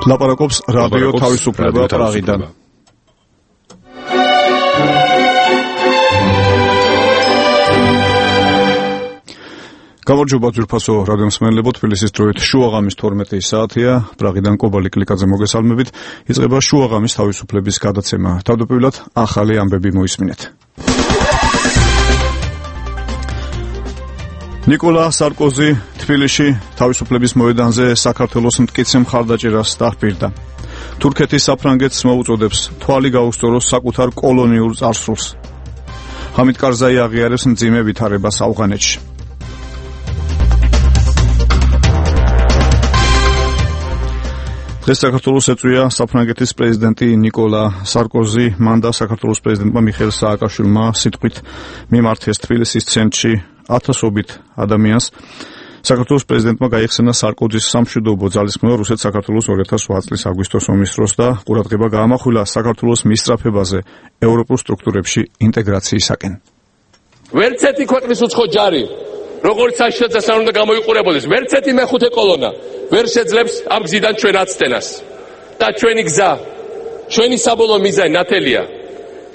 ლაპარაკობს რადიო თავისუფლება პრაღიდან. გამარჯობა ძვირფასო რადიო მსმენელებო, თბილისის დროით შუაღამის 12 საათია, პრაღიდან კობალი კლიკაძე მოგესალმებით. იწყება შუაღამის თავისუფლების გადაცემა. თავდაპირველად ახალი ამბები მოისმინეთ. ნიკოლა სარკოზი თბილისში თავისუფლების მოედანზე საქართველოს მტკიცე მხარდაჭერას დაჰპირდა. თურქეთის საფრანგეთს მოუწოდებს თვალი გაუსწოროს საკუთარ კოლონიურ წარსულს. ჰამიდ კარზაი აღიარებს მძიმე ვითარებას ავღანეთში. დღეს საქართველოს ეწვია საფრანგეთის პრეზიდენტი ნიკოლა სარკოზი. მან და საქართველოს პრეზიდენტმა მიხეილ სააკაშვილმა სიტყვით მიმართეს თბილისის ცენტრში ათასობით ადამიანს. საქართველოს პრეზიდენტმა გაიხსენა სარკოზის სამშვიდობო ძალისხმევა რუსეთ-საქართველოს 2008 წლის აგვისტოს ომის დროს და ყურადღება გაამახვილა საქართველოს მისწრაფებაზე ევროპულ სტრუქტურებში ინტეგრაციისაკენ. ვერცეთი ქვეყნის უცხო ჯარი, როგორც საშიშროებას არ უნდა გამოიყურებოდეს, ვერცეთი მეხუთე კოლონა ვერ შეძლებს ამ გზიდან ჩვენ აცდენას. და ჩვენი გზა, ჩვენი საბოლოო მიზანი ნათელია.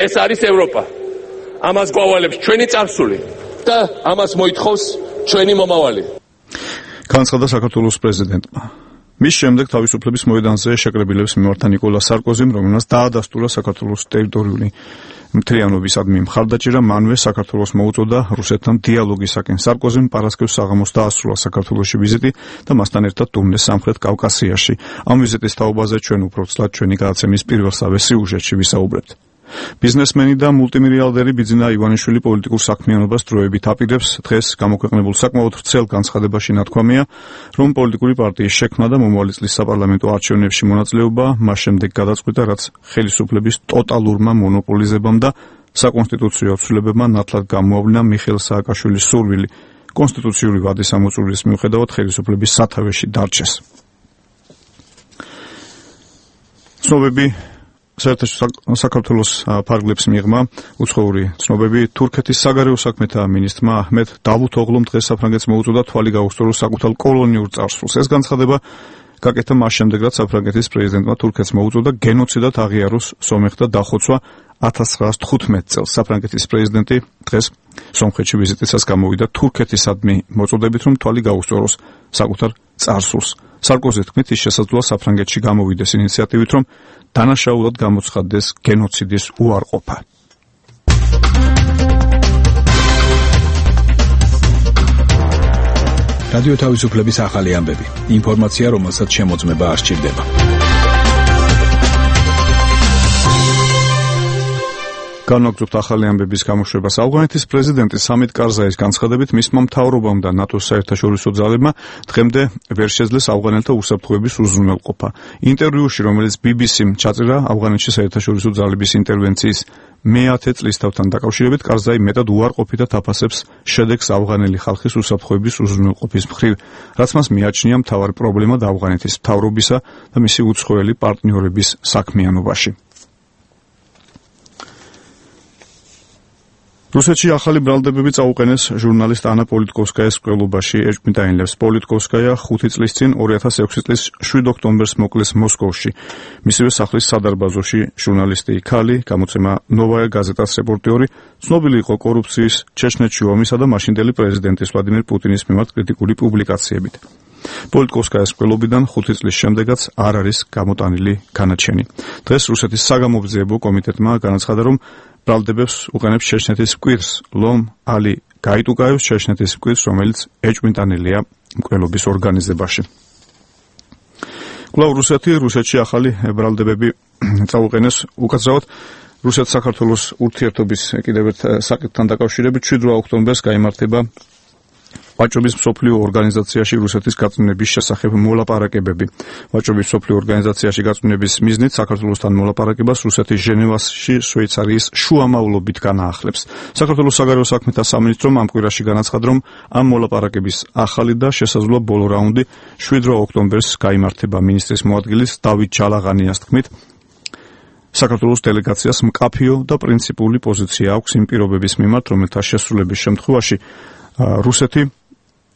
ეს არის ევროპა. ამას გვავალებს ჩვენი წარსული და ამას მოითხოვს ჩვენი მომავალი. განცხადა საქართველოს პრეზიდენტმა. მის შემდეგ თავისუფლების მოედანზე შეკრებილებს მიმართა ნიკოლა სარკოზიმ, რომელმაც დაადასტურა საქართველოს ტერიტორიული მთლიანობისადმი მხარდაჭერა, მანვე საქართველოს მოუწოდა რუსეთთან დიალოგისაკენ. სარკოზიმ პარასკევს საღამოს დაასრულა საქართველოში ვიზიტი და მასთან ერთად ტურნე სამხრეთ კავკასიაში. ამ ვიზიტის თაობაზე ჩვენ უფრო ცლად ჩვენი გადაცემის პირველსავე სიუჟეტში ვისაუბრებთ. ბიზნესმენი და მულტიმილიარდერი ბიძინა ივანიშვილი პოლიტიკურ საქმიანობას დროებით აპირებს. დღეს გამოქვეყნებულ საკმაოდ ვრცელ განცხადებაში ნათქვამია, რომ პოლიტიკური პარტიის შექმნა და მომავალი წლის საპარლამენტო არჩევნებში მონაწილეობა მას შემდეგ გადაწყვიტა, რაც ხელისუფლების ტოტალურმა მონოპოლიზებამ და საკონსტიტუციო ცვლილებებმა ნათლად გამოავლინა მიხეილ სააკაშვილის სურვილი კონსტიტუციური ვადის ამოწურვის მიუხედავად ხელისუფლების სათავეში დარჩეს. ცნობები საქართველოს ფარგლებს მიიღმა უცხოური ცნობები. თურქეთის საგარეო საქმეთა მინისტრმა აჰმედ დავუთოღლუმ დღეს საფრანგეთს მოუწოდა თვალი გაუსწოროს საკუთარ კოლონიურ წარსულს. ეს განცხადება გაკეთა მას შემდეგ, რაც საფრანგეთის პრეზიდენტმა თურქეთს მოუწოდა გენოციდად აღიაროს სომეხთა დახოცვა 1915 წელს. საფრანგეთის პრეზიდენტი დღეს სომხეთში ვიზიტისას გამოვიდა თურქეთისადმი მოწოდებით, რომ თვალი გაუსწოროს საკუთარ წარსულს. სარკოზის თქმით, ის შესაძლოა საფრანგეთში გამოვიდეს ინიციატივით, რომ დანაშაულად გამოცხადდეს გენოციდის უარყოფა. რადიო თავისუფლების ახალი ამბები. ინფორმაცია, რომელსაც შემოწმება არ სჭირდება. განვაგრძობთ ახალი ამბების გამოშვებას. ავღანეთის პრეზიდენტის ჰამიდ კარზაის განცხადებით, მისმა მთავრობამ და ნატოს საერთაშორისო ძალებმა დღემდე ვერ შეძლეს ავღანელთა უსაფრთხოების უზრუნველყოფა. ინტერვიუში, რომელიც BBC-მ ჩაწერა ავღანეთში საერთაშორისო ძალების ინტერვენციის მე-10 წლისთავთან დაკავშირებით, კარზაი მეტად უარყოფითად აფასებს შედეგს ავღანელი ხალხის უსაფრთხოების უზრუნველყოფის მხრივ, რაც მას მიაჩნია მთავარი პრობლემა ავღანეთის მთავრობისა და მისი უცხოელი პარტნიორების საქმიანობაში. რუსეთში ახალი ბრალდებები წაუყენეს ჟურნალისტ ანა პოლიტკოვსკაიას მკვლელობაში. ეჭვმიტანილებს პოლიტკოვსკაია 5 წლის წინ 2006 წლის 7 ოქტომბერს მოკლეს მოსკოვში. მისივე სახლის სადარბაზოში ჟურნალისტი ქალი, გამოცემა ნოვაია გაზეტას რეპორტიორი, ცნობილი იყო კორუფციის, ჩეჩნეთში ომისა და მაშინდელი პრეზიდენტის ვლადიმერ პუტინის მიმართ კრიტიკული პუბლიკაციებით. პოლიტკოვსკაიას მკვლელობიდან 5 წლის შემდეგაც არ არის გამოტანილი განაჩენი. დღეს რუსეთის საგამოძიებო კომიტეტმა განაცხადა, რომ ბრალდებებს უყენებს ჩეჩნეთის მკვირს ლომ ალი გაიტუკაევს, ჩეჩნეთის მკვირს, რომელიც ეჭვმიტანილია მკვლელობის ორგანიზებაში. კვლავ რუსეთში ახალი ბრალდებები წაუყენეს. უკაცრავად რუსეთ-საქართველოს ურთიერთობის კიდევ ერთ საკითხთან დაკავშირებით 7 ოქტომბერს გაიმართება ვაჭრობის მსოფლიო ორგანიზაციაში რუსეთის გაწმენების შესახებ მოლაპარაკებები. ვაჭრობის მსოფლიო ორგანიზაციაში გაწმენების მიზნით საქართველოსთან მოლაპარაკებას რუსეთის ჟენევაში შვეიცარიის შუამავლობით განაახლებს. საქართველოს საგარეო საქმეთა სამინისტრომ ამ კვირაში განაცხადა, რომ ამ მოლაპარაკების ახალი და შესაძლოა ბოლო რაუნდი 7 ოქტომბერს გაიმართება. მინისტრის მოადგილის დავით ჯალაღანიას თქმით, საქართველოს დელეგაციას მკაფიო და პრინციპული პოზიცია აქვს იმ პირობების მიმართ, რომელთა შესრულების შემთხვევაში რუსეთი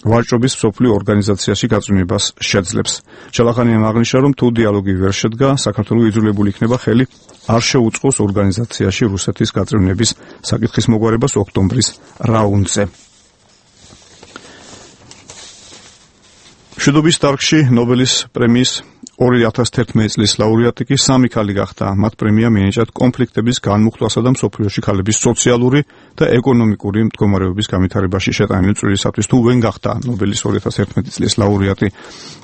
ვაჭრობის მსოფლიო ორგანიზაციაში გაწვენებას შეძლებს. ჩალახანიამ აღნიშნა, რომ თუ დიალოგი ვერ შედგა, საქართველოს იძულებული იქნება ხელი არ შეუწყოს ორგანიზაციაში რუსეთის გაწვენების საკითხის მოგვარებას ოქტომბრის რაუნდზე. მშვიდობის დარგში ნობელის პრემიის 2011 წლის ლაურეატი კი 3 ქალი გახდა. მათ პრემია მიენიჭათ კონფლიქტების განმუხტვასა და მსოფლიოში ქალების სოციალური და ეკონომიკური მდგომარეობის განვითარებაში შეტანილი წვლილისათვის. თუ ვენ გახდა ნობელის 2011 წლის ლაურეატი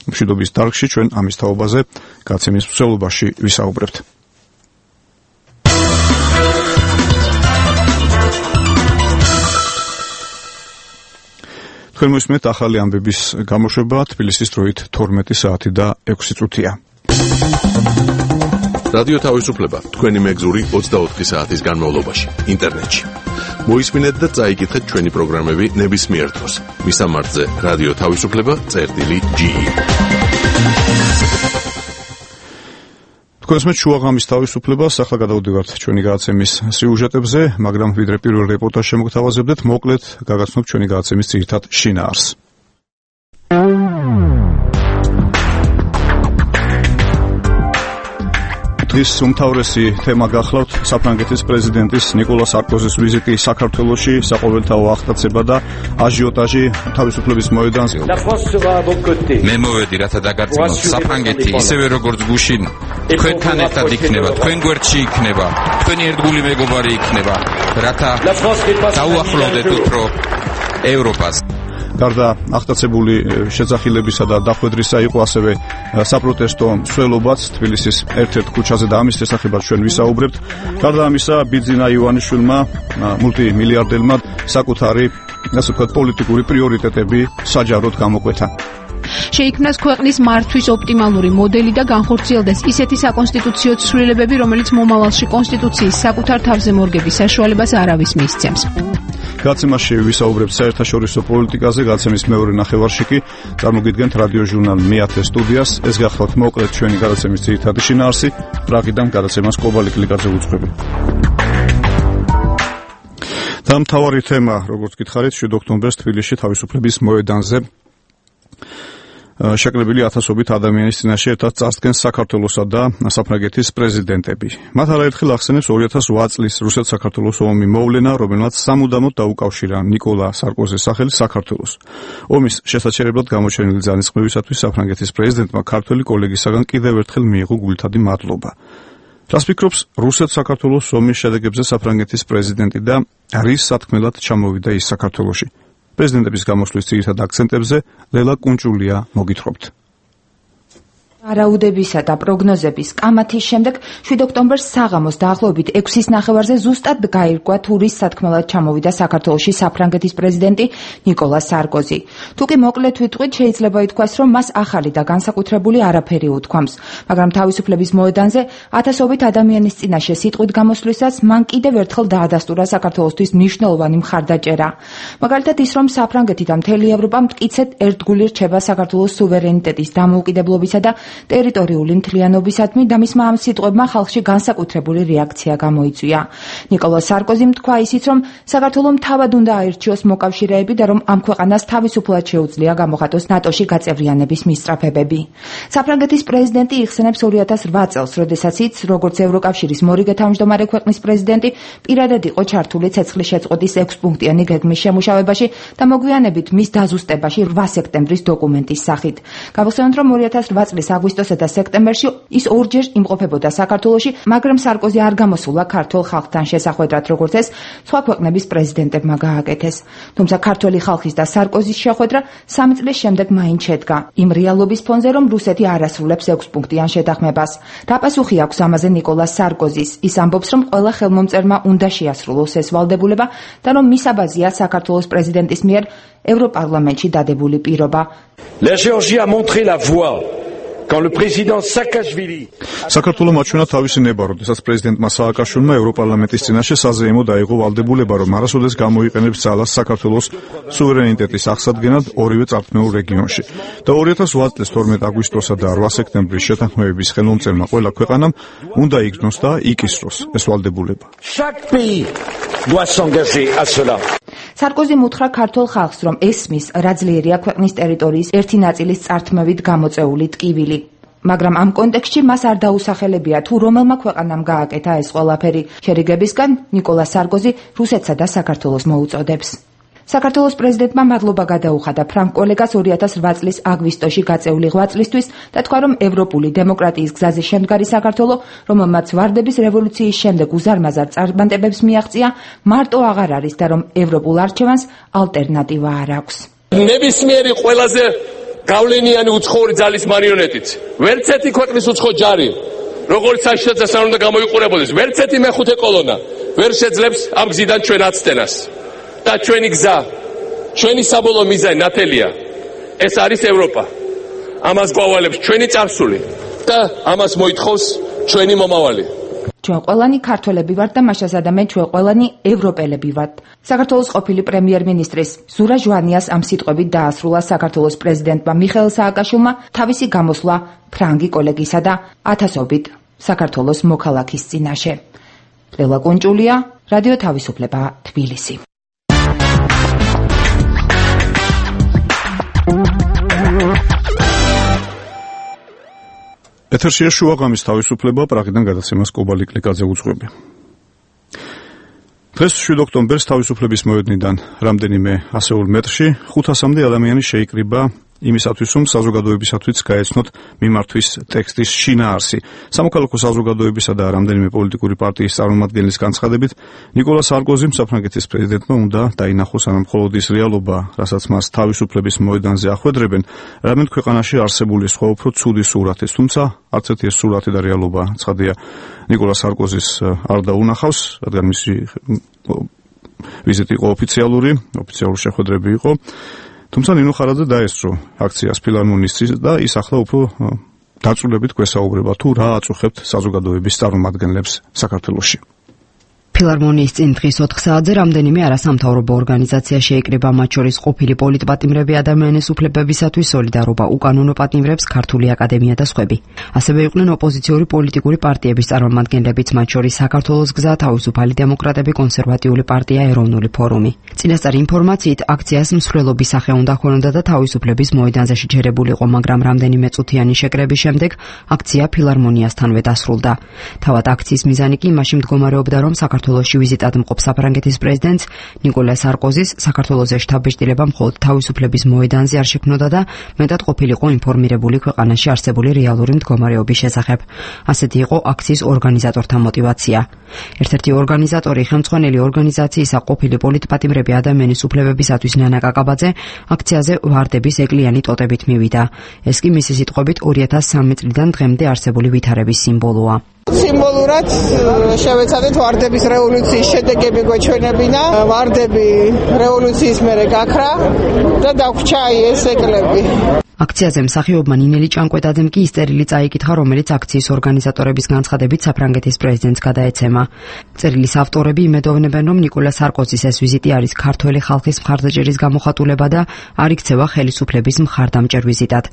მშვიდობის დარგში, ჩვენ ამის თაობაზე გაცემის მსვლელობაში ვისაუბრებთ. თქვენ მოსმენთ ახალი ამბების გამოშვება თბილისის დროით 12 საათი და 6 წუთია. რადიო თავისუფლება თქვენი მეგზური 24 საათის განმავლობაში ინტერნეტში. მოისმინეთ და წაიკითხეთ ჩვენი პროგრამები ნებისმიერ დროს. მისამართზე რადიო თავისუფლება.ge. თქვენს შუაღამის თავისუფლებას ახლა გადავდივართ ჩვენი გადაცემის სიუჟეტებზე, მაგრამ ვიდრე პირველ რეპორტაჟს შემოგთავაზებდეთ, მოკლედ გაგაცნობთ ჩვენი გადაცემის ძირითად შინაარსს. დღის უმთავრესი თემა გახლავთ საფრანგეთის პრეზიდენტის ნიკოლა სარკოზის ვიზიტი საქართველოში, საყოველთაო აღტაცება და აჟიოტაჟი თავისუფლების მოედანზე. მე მოვედი რათა დაგარწმუნოთ, საფრანგეთი ისევე როგორც გუშინ თქვენთან ერთად იქნება, თქვენ გვერდში იქნება, თქვენი ერთგული მეგობარი იქნება, რათა დაუახლოვდეთ უფრო ევროპას. გარდა აღტაცებული შეძახილებისა და დახვედრისა იყო ასევე საპროტესტო მსვლელობაც თბილისის ერთ-ერთ ქუჩაზე და ამის შესახებაც ჩვენ ვისაუბრებთ. გარდა ამისა, ბიძინა ივანიშვილმა, მულტიმილიარდერმა საკუთარი, ასე ვთქვათ, პოლიტიკური პრიორიტეტები საჯაროდ გამოკვეთა. შეიქმნას ქვეყნის მართვის ოპტიმალური მოდელი და განხორციელდეს ისეთი საკონსტიტუციო ცვლილებები, რომელიც მომავალში კონსტიტუციის საკუთარ თავზე მორგების საშუალებას არავის მისცემს. გაცემაში ვისაუბრებთ საერთაშორისო პოლიტიკაზე, გაცემის მეორე ნახევარში კი წარმოგიდგენთ რადიო ჟურნალ მე-10 სტუდიას. ეს გახლავთ მოკლედ ჩვენი გადაცემის ძირითადი შინაარსი. პრაღიდან გადაცემას კობალი კლიკაძე უძღვები. და მთავარი თემა, როგორც გითხარით, 7 ოქტომბერს თბილისში თავისუფლების მოედანზე შეკრებილი ათასობით ადამიანის წინაშე ერთად წარსდგენ საქართველოსა და საფრანგეთის პრეზიდენტები. მათ არაერთხელ ახსენებს 2008 წლის რუსეთ-საქართველოს ომი მოვლენა, რომელმაც სამუდამოდ დაუკავშირა ნიკოლა სარკოზის სახელი საქართველოს. ომის შესაჩერებლად გამოჩენილი ძალისხმევისათვის საფრანგეთის პრეზიდენტმა ქართველი კოლეგისაგან კიდევ ერთხელ მიიღო გულთადი მადლობა. რას ფიქრობს რუსეთ-საქართველოს ომის შედეგებზე საფრანგეთის პრეზიდენტი და რის სათქმელად ჩამოვიდა ის საქართველოში? პრეზიდენტების გამოსვლის ძირითად აქცენტებზე ლელა კუნჭულია მოგითხრობთ. არაუდებისა და პროგნოზების კამათის შემდეგ 7 ოქტომბერს საღამოს დაახლოებით 6-ის ნახევარზე ზუსტად გაირკვა თუ რის სათქმელად ჩამოვიდა საქართველოში საფრანგეთის პრეზიდენტი ნიკოლა სარკოზი. თუკი მოკლედ ვიტყვით, შეიძლება ითქვას, რომ მას ახალი და განსაკუთრებული არაფერი უთქვამს, მაგრამ თავისუფლების მოედანზე ათასობით ადამიანის წინაშე სიტყვით გამოსვლისას მან კიდევ ერთხელ დაადასტურა საქართველოსთვის მნიშვნელოვანი მხარდაჭერა. მაგალითად ის, რომ საფრანგეთი და მთელი ევროპა მტკიცედ ერთგული რჩება საქართველოს სუვერენიტეტის დამოუკიდებლობისა და ტერიტორიული მთლიანობისადმი და მისმა ამ სიტყვებმა ხალხში განსაკუთრებული რეაქცია გამოიწვია. ნიკოლა სარკოზიმ თქვა ისიც, რომ საქართველომ თავად უნდა აირჩიოს მოკავშირეები და რომ ამ ქვეყანას თავისუფლად შეუძლია გამოხატოს ნატოში გაწევრიანების მისწრაფებები. საფრანგეთის პრეზიდენტი იხსენებს 2008 წელს, როდესაც ის, როგორც ევროკავშირის მორიგე თავმჯდომარე ქვეყნის პრეზიდენტი, პირადად იყო ჩართული ცეცხლის შეწყვეტის 6-პუნქტიანი გეგმის შემუშავებაში და მოგვიანებით მის დაზუსტებაში 8 სექტემბრის დოკუმენტის სახით. გავხსენოთ, რომ 2008 წლის აგვისტოსა და სექტემბერში ის ორჯერ იმყოფებოდა საქართველოში, მაგრამ სარკოზი არ გამოსულა ქართულ ხალხთან შესახვედრად, როგორც ეს სხვა ქვეყნების პრეზიდენტებმა გააკეთეს. თუმცა ქართველი ხალხის და სარკოზის შეხვედრა 3 წლის შემდეგ მაინც შედგა, იმ რეალობის ფონზე, რომ რუსეთი არ ასრულებს 6-პუნქტიან შეთანხმებას. რა პასუხი აქვს ამაზე ნიკოლა სარკოზის? ის ამბობს, რომ ყველა ხელმომწერმა უნდა შეასრულოს ეს ვალდებულება და რომ მისაბაზეა საქართველოს პრეზიდენტის მიერ ევროპარლამენტში დადებული პირობა. La Géorgie a montré la voie. Quand le président Saakashvili საქართველოს მაჩვენა თავისი ნება, როდესაც პრეზიდენტმა სააკაშვილმა ევროპარლამენტის წინაშე საზეიმო დაიღო ვალდებულება, რომ არასოდეს გამოიყენებს ძალას საქართველოს სუვერენიტეტის აღსადგენად ორივე წართმეულ რეგიონში. და 2008 წლის 12 აგვისტოსა და 8 სექტემბრის შეთანხმების ხელმომწერმა ყველა ქვეყანამ უნდა იგრძნოს და იკისროს ეს ვალდებულება. chaque pays doit s'engager à cela. სარკოზიმ უთხრა ქართულ ხალხს, რომ ესმის, რა ძლიერია ქვეყნის ტერიტორიის ერთი ნაწილის წართმევით გამოწეული ტკივილი. მაგრამ ამ კონტექსტში მას არ დაუსახელებია, თუ რომელმა ქვეყანამ გააკეთა ეს ყველაფერი. შერიგებისგან ნიკოლა სარკოზი რუსეთსა და საქართველოს მოუწოდებს. საქართველოს პრეზიდენტმა მადლობა გადაუხადა ფრანგ კოლეგას 2008 წლის აგვისტოში გაწეული ღვაწლისთვის და თქვა, რომ ევროპული დემოკრატიის გზაზე შემდგარი საქართველო, რომელმაც ვარდების რევოლუციის შემდეგ უზარმაზარ წარმატებებს მიაღწია, მარტო აღარ არის და რომ ევროპულ არჩევანს ალტერნატივა არ აქვს. ნებისმიერი ყველაზე გავლენიანი უცხოური ძალის მარიონეტით. ვერც ერთი ქვეყნის უცხო ჯარი, როგორც საშიშად არ უნდა გამოიყურებოდეს, ვერც ერთი მეხუთე კოლონა ვერ შეძლებს ამ გზიდან ჩვენ აცდენას. და ჩვენი გზა, ჩვენი საბოლოო მიზანი ნათელია. ეს არის ევროპა. ამას გვავალებს ჩვენი წარსული და ამას მოითხოვს ჩვენი მომავალი. ჩვენ ყველანი ქართველები ვართ და მაშასა ადამენ ჩვენ ყველანი ევროპელები ვართ. საქართველოს ყოფილი პრემიერ-მინისტრის ზურა ჟვანიას ამ სიტყვებით დაასრულა საქართველოს პრეზიდენტმა მიხეილ სააკაშვილმა თავისი გამოსვლა ფრანგი კოლეგისა და ათასობით საქართველოს მოქალაქის წინაშე. ლელა კუნჭულია, რადიო თავისუფლება, თბილისი. ეთერშია შუაღამის თავისუფლება, პრაღიდან გადაცემას კობალი კლიკაძე უძღვები. დღეს 7 ოქტომბერს თავისუფლების მოედნიდან რამდენიმე ასეულ მეტრში 500-მდე ადამიანი შეიკრიბა იმისათვის, რომ საზოგადოებისათვის გაეცნოთ მიმართვის ტექსტის შინაარსი. სამოქალაქო საზოგადოებისა და რამდენიმე პოლიტიკური პარტიის წარმომადგენლის განცხადებით, ნიკოლა სარკოზიმ საფრანგეთის პრეზიდენტმა უნდა დაინახოს ამ მხოლოდ ის რეალობა, რასაც მას თავისუფლების მოედანზე ახვედრებენ, რამენ ქვეყანაში არსებული სხვა უფრო ცუდი სურათის, თუმცა არც ერთი ეს სურათი და რეალობა ცხადია ნიკოლა სარკოზის არ დაუნახავს, რადგან მისი ვიზიტი იყო ოფიციალური შეხვედრები იყო. თუმცა ნინო ხარაძე დაესწრო აქციას ფილარმონისტრის და ის ახლა უფრო დაწვრილებით გვესაუბრება თუ რა აწუხებთ საზოგადოების წარმომადგენლებს საქართველოში. ფილარმონიის წინ დღის 4 საათზე რამდენიმე არასამთავრობო ორგანიზაცია შეიკრიბა, მათ შორის ყოფილი პოლიტპატიმრები, ადამიანის უფლებებისათვის სოლიდარობა, უკანონო პატიმრებს, ქართული აკადემია და სხვები. ასევე იყვნენ ოპოზიციური პოლიტიკური პარტიების წარმომადგენლებიც, მათ შორის საქართველოს გზა, თავისუფალი დემოკრატები, კონსერვატიული პარტია, ეროვნული ფორუმი. წინასწარი ინფორმაციით აქციას მსვლელობის სახე უნდა ჰქონოდა და თავისუფლების მოედანზე შეჯერებულიყო, მაგრამ რამდენიმე წუთიანი შეკრების შემდეგ აქცია ფილარმონიასთანვე დასრულდა. თავად აქციის მიზანი კი იმაში მდგომარეობდა, რომ საქართველოში ვიზიტად მყოფ საფრანგეთის პრეზიდენტს ნიკოლა სარკოზის საქართველოზე შთაბეჭდილება მხოლოდ თავისუფლების მოედანზე არ შექმნოდა და მეტად ყოფილიყო ინფორმირებული ქვეყანაში არსებული რეალური მდგომარეობის შესახებ. ასეთი იყო აქციის ორგანიზატორთა мотиваცია. ერთ-ერთი ორგანიზატორი, ხელმძღვანელი ორგანიზაციისა ყოფილი პოლიტპატიმრები ადამიანის უფლებებისათვის ნანა კაკაბაძე აქციაზე ვარდების ეკლიანი ტოტებით მივიდა. ეს კი მისი სიტყვებით 2003 წლიდან დღემდე არსებული ვითარების სიმბოლოა. სიმბოლურად შევეცადეთ ვარდების რევოლუციის შედეგები გვეჩვენებინა, ვარდები რევოლუციის მერე გაქრა და დაგვრჩა ეს ეკლები. აქციაზე მსახიობმა ნინელი ჭანკვეტაძემ კი ისწერილი წაიკითხა, რომელიც აქციის ორგანიზატორების განცხადებით საფრანგეთის პრეზიდენტს გადაეცემა. წერილის ავტორები იმედოვნებენ, რომ ნიკოლა სარკოზის ეს ვიზიტი არის ქართველი ხალხის მხარდაჭერის გამოხატულება და არ იქცევა ხელისუფლების მხარდამჭერ ვიზიტად,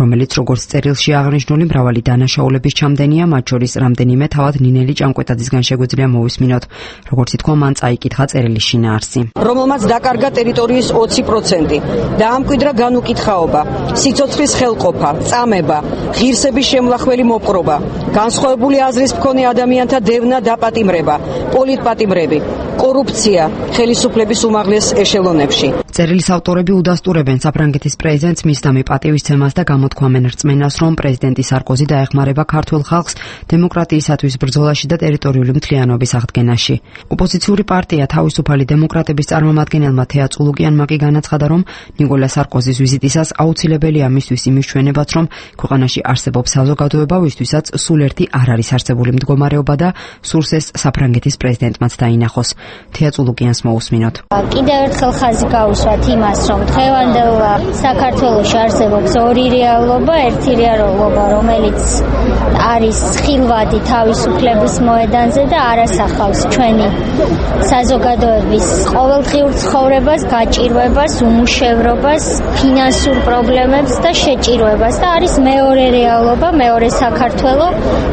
რომელიც როგორც წერილში აღნიშნული მრავალი დანაშაულების ჩამდენია, მათ შორის რამდენიმე თავად ნინელი ჭანკვეტაძისგან შეგვიძლია მოვისმინოთ, როგორც ითქვა, მან წაიკითხა წერილის შინაარსი. რომელმაც დაკარგა ტერიტორიის 20% და ამკვიდრა განუკითხაობა, სიცოცხლის ხელყოფა, წამება, ღირსების შემლახველი მოპყრობა, განსხვავებული აზრის მქონე ადამიანთა დევნა დაპატიმრება, პოლიტპატიმრები, კორუფცია ხელისუფლების უმაღლეს ეშელონებში. წერილის ავტორები უდასტურებენ საფრანგეთის პრეზიდენტს მისდამი პატივისცემას და გამოთქვამენ რწმენას, რომ პრეზიდენტი სარკოზი დაეხმარება ქართულ ხალხს დემოკრატიისათვის ბრძოლაში და ტერიტორიული მთლიანობის აღდგენაში. ოპოზიციური პარტია თავისუფალი დემოკრატების წარმომადგენელმა თეა წულუკიანმა კი განაცხადა, რომ ნიკოლა სარკოზის ვიზიტისას აუცილებელია მისთვის იმის ჩვენებაც, რომ ქვეყანაში არსებობს საზოგადოება, ვისთვისაც სულ ერთი არ არის არსებული მდგომარეობა და სურს ეს საფრანგეთის პრეზიდენტმაც დაინახოს. თეა წულუკიანს მოусმინოთ. კიდევ ერთხელ ხაზი გაუსვათ იმას, რომ დღევანდელ საქართველოში არსებობს ორი რეალობა, ერთი რეალობა, რომელიც არის ხილვადი თავისუფლების მოედანზე და არასახავს ჩვენი საზოგადოების ყოველდღიურ ცხოვრებას, გაჭირვებას, უმუშევრობას, ფინანსურ პრობლემებს და შეჭირვებას და არის მეორე რეალობა, მეორე საქართველო,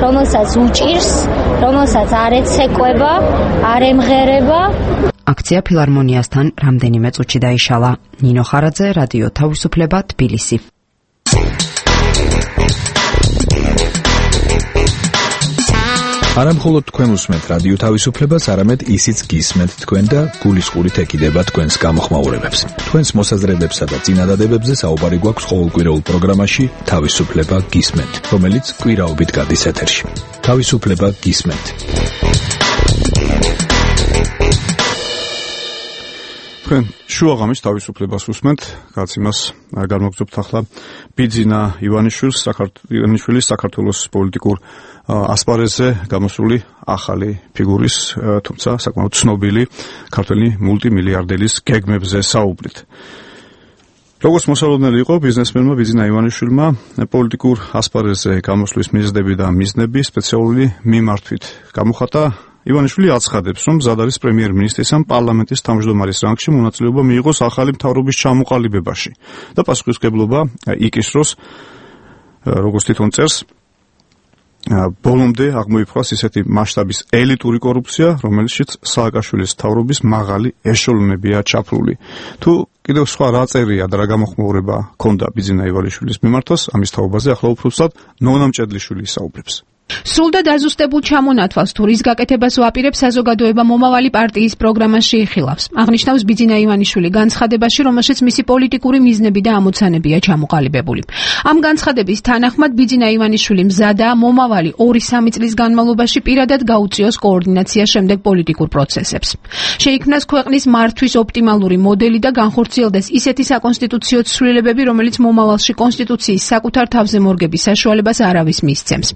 რომელსაც უჭირს, რომელსაც არ ეცეკვება, არ ემღერება. აქცია ფილარმონიასთან რამდენიმე წუთში დაიშალა. ნინო ხარაძე, რადიო თავისუფლება, თბილისი. არა მხოლოდ თქვენ უსმენთ რადიო თავისუფლებას, არამედ ისიც გისმენთ თქვენ და გულისყურით ეკიდება თქვენს გამოხმაურებებს. თქვენს მოსაზრებებსა და წინადადებებზე საუბარი გვაქვს ყოველკვირეულ პროგრამაში თავისუფლება გისმენთ, რომელიც კვირაობით გადის ეთერში. თავისუფლება გისმენთ. თქვენ შუაღამის თავისუფლებას უსმენთ, რაც იმას განმოგზობთ ახლა ბიძინა ივანიშვილის საქართველოს პოლიტიკურ ასპარეზზე გამოსული ახალი ფიგურის, თუმცა საკმაოდ ცნობილი ქართველი მულტიმილიარდერის გეგმებზე საუბრით. როგორც მოსალოდნელი იყო ბიზნესმენმა ბიძინა ივანიშვილმა პოლიტიკურ ასპარეზზე გამოსვლის მიზნები და მიზნები სპეციალური მიმართვით გამოხატა. ივანიშვილი აცხადებს, რომ მზად არის პრემიერ-მინისტრის ან პარლამენტის თავმჯდომარის რანგში მონაწილეობა მიიღოს ახალი მთავრობის ჩამოყალიბებაში და პასუხისმგებლობა იკისროს, როგორც თვითონ წერს, ბოლომდე აღმოიფხვრას ისეთი მასშტაბის ელიტური კორუფცია, რომელშიც სააკაშვილის მთავრობის მაღალი ეშელონებია ჩაფლული. თუ კიდევ სხვა რა წერია და რა გამოხმაურება ჰქონდა ბიძინა ივანიშვილის მიმართვას, ამის თაობაზე ახლა უფრო სწორად ნონა მჭედლიშვილი ისაუბრებს. სრულ და დაზუსტებულ ჩამონათვალს თუ რის გაკეთებას ვაპირებს საზოგადოება მომავალი პარტიის პროგრამაში იხილავს. აღნიშნავს ბიძინა ივანიშვილი განცხადებაში, რომელშიც მისი პოლიტიკური მიზნები და ამოცანებია ჩამოყალიბებული. ამ განცხადების თანახმად ბიძინა ივანიშვილი მზადაა მომავალი 2-3 წლის განმავლობაში პირადად გაუწიოს კოორდინაცია შემდეგ პოლიტიკურ პროცესებს. შეიქმნას ქვეყნის მართვის ოპტიმალური მოდელი და განხორციელდეს ისეთი საკონსტიტუციო ცვლილებები, რომელიც მომავალში კონსტიტუციის საკუთარ თავზე მორგების საშუალებას არავის მისცემს.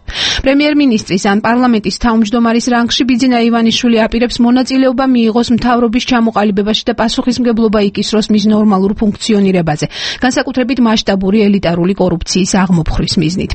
პრემიერ-მინისტრის ან პარლამენტის თავმჯდომარის რანგში ბიძინა ივანიშვილი აპირებს მონაწილეობა მიიღოს მთავრობის ჩამოყალიბებაში და პასუხისმგებლობა იკისროს მის ნორმალურ ფუნქციონირებაზე, განსაკუთრებით მასშტაბური ელიტარული კორუფციის აღმოფხრის მიზნით.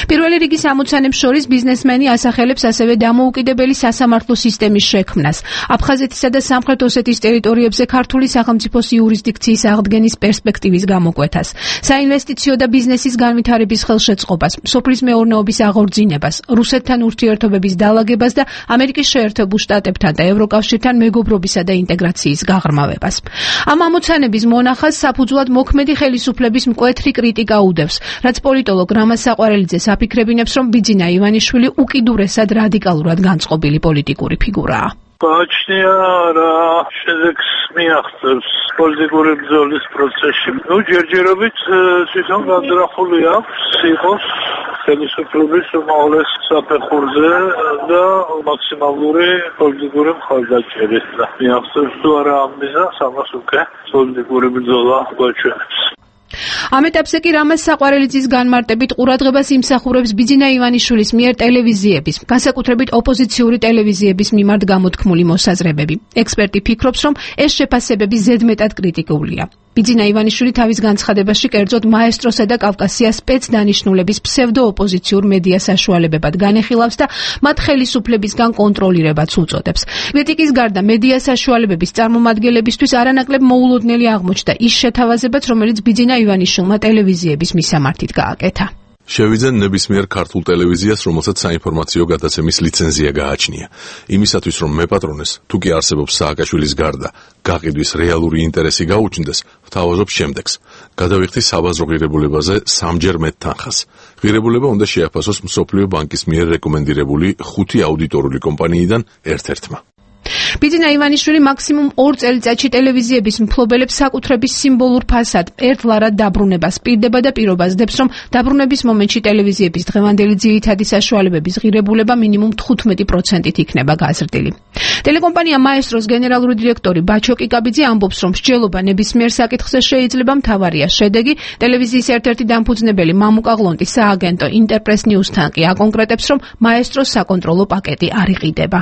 პირველი რიგის ამოცანებს შორის ბიზნესმენი ასახელებს ასევე დამოუკიდებელი სასამართლო სისტემის შექმნას, აფხაზეთისა და სამხრეთ ოსეთის ტერიტორიებზე ქართული სახელმწიფოს იურისდიქციის აღდგენის პერსპექტივის გამოკვეთას, საინვესტიციო და ბიზნესის განვითარების ხელშეწყობას, სოფლის მეურნეობის აღორძინებას, რუსეთთან ურთიერთობების დალაგებას და ამერიკის შეერთებულ შტატებთან და ევროკავშირთან მეგობრობისა და ინტეგრაციის გაღრმავებას. ამ ამოცანების მონახაზს საფუძვლად მოქმედი ხელისუფლების მკვეთრი კრიტიკა უდევს, რაც პოლიტოლოგ რამაზ საყვარელიძეს აფიქრებინებს, რომ ბიძინა ივანიშვილი უკიდურესად რადიკალურად განწყობილი პოლიტიკური ფიგურაა. გააჩნია რა შედეგს მიაღწევს პოლიტიკური ბრძოლის პროცესში. ჯერჯერობით თვითონ განზრახული აქვს იყოს ხელისუფლების უმაღლეს საფეხურზე და მაქსიმალური პოლიტიკური მხარდაჭერი. მიაღწევს თუ არა ამ მიზანს, ამას უკვე პოლიტიკური ბრძოლა გვაჩვენებს. ამ ეტაპზე კი რამაზ საყვარელიძის განმარტებით ყურადღებას იმსახურებს ბიძინა ივანიშვილის მიერ ტელევიზიების, განსაკუთრებით ოპოზიციური ტელევიზიების მიმართ გამოთქმული მოსაზრებები. ექსპერტი ფიქრობს, რომ ეს შეფასებები ზედმეტად კრიტიკულია. ბიძინა ივანიშვილი თავის განცხადებაში კერძოდ მაესტროსა და კავკასიას სპეცდანიშნულების ფსევდოოპოზიციურ მედია საშუალებებად განეხილავს და მათ ხელისუფლებისგან კონტროლირებაც უწოდებს. კრიტიკის გარდა მედია საშუალებების წარმომადგენლებისთვის არანაკლებ მოულოდნელი აღმოჩნდა ის შეთავაზებაც, რომელიც ბიძინა ივანიშვილმა ტელევიზიების მისამართით გააკეთა. შევიძენ ნებისმიერ ქართულ ტელევიზიას, რომელსაც საინფორმაციო გადაცემის ლიცენზია გააჩნია. იმისათვის, რომ მეპატრონეს, თუ კი არსებობს სააკაშვილის გარდა, გაყიდვის რეალური ინტერესი გაუჩნდეს, ვთავაზობ შემდეგს. გადავიხდი საბაზრო ღირებულებაზე 3-ჯერ მეტ თანხას. ღირებულება უნდა შეაფასოს მსოფლიო ბანკის მიერ რეკომენდირებული 5 აუდიტორული კომპანიიდან ერთ-ერთმა. ბიძინა ივანიშვილი მაქსიმუმ 2 წელიწადში ტელევიზიების მფლობელებს საკუთრების სიმბოლურ ფასად ერთლარად დაბრუნებას პირდება და პირობას დებს, რომ დაბრუნების მომენტში ტელევიზიების დღევანდელი ძირითადი საშუალებების ღირებულება მინიმუმ 15%-ით იქნება გაზრდილი. ტელეკომპანია მაესტროს გენერალური დირექტორი ბაჩო კიკაბიძე ამბობს, რომ მსჯელობა ნებისმიერ საკითხზე შეიძლება მთავარია შედეგი. ტელევიზიის ერთ-ერთი დამფუძნებელი მამუკა ღლონტი სააგენტო ინტერპრეს ნიუსთან კი აკონკრეტებს, რომ მაესტროს საკონტროლო პაკეტი არ იყიდება.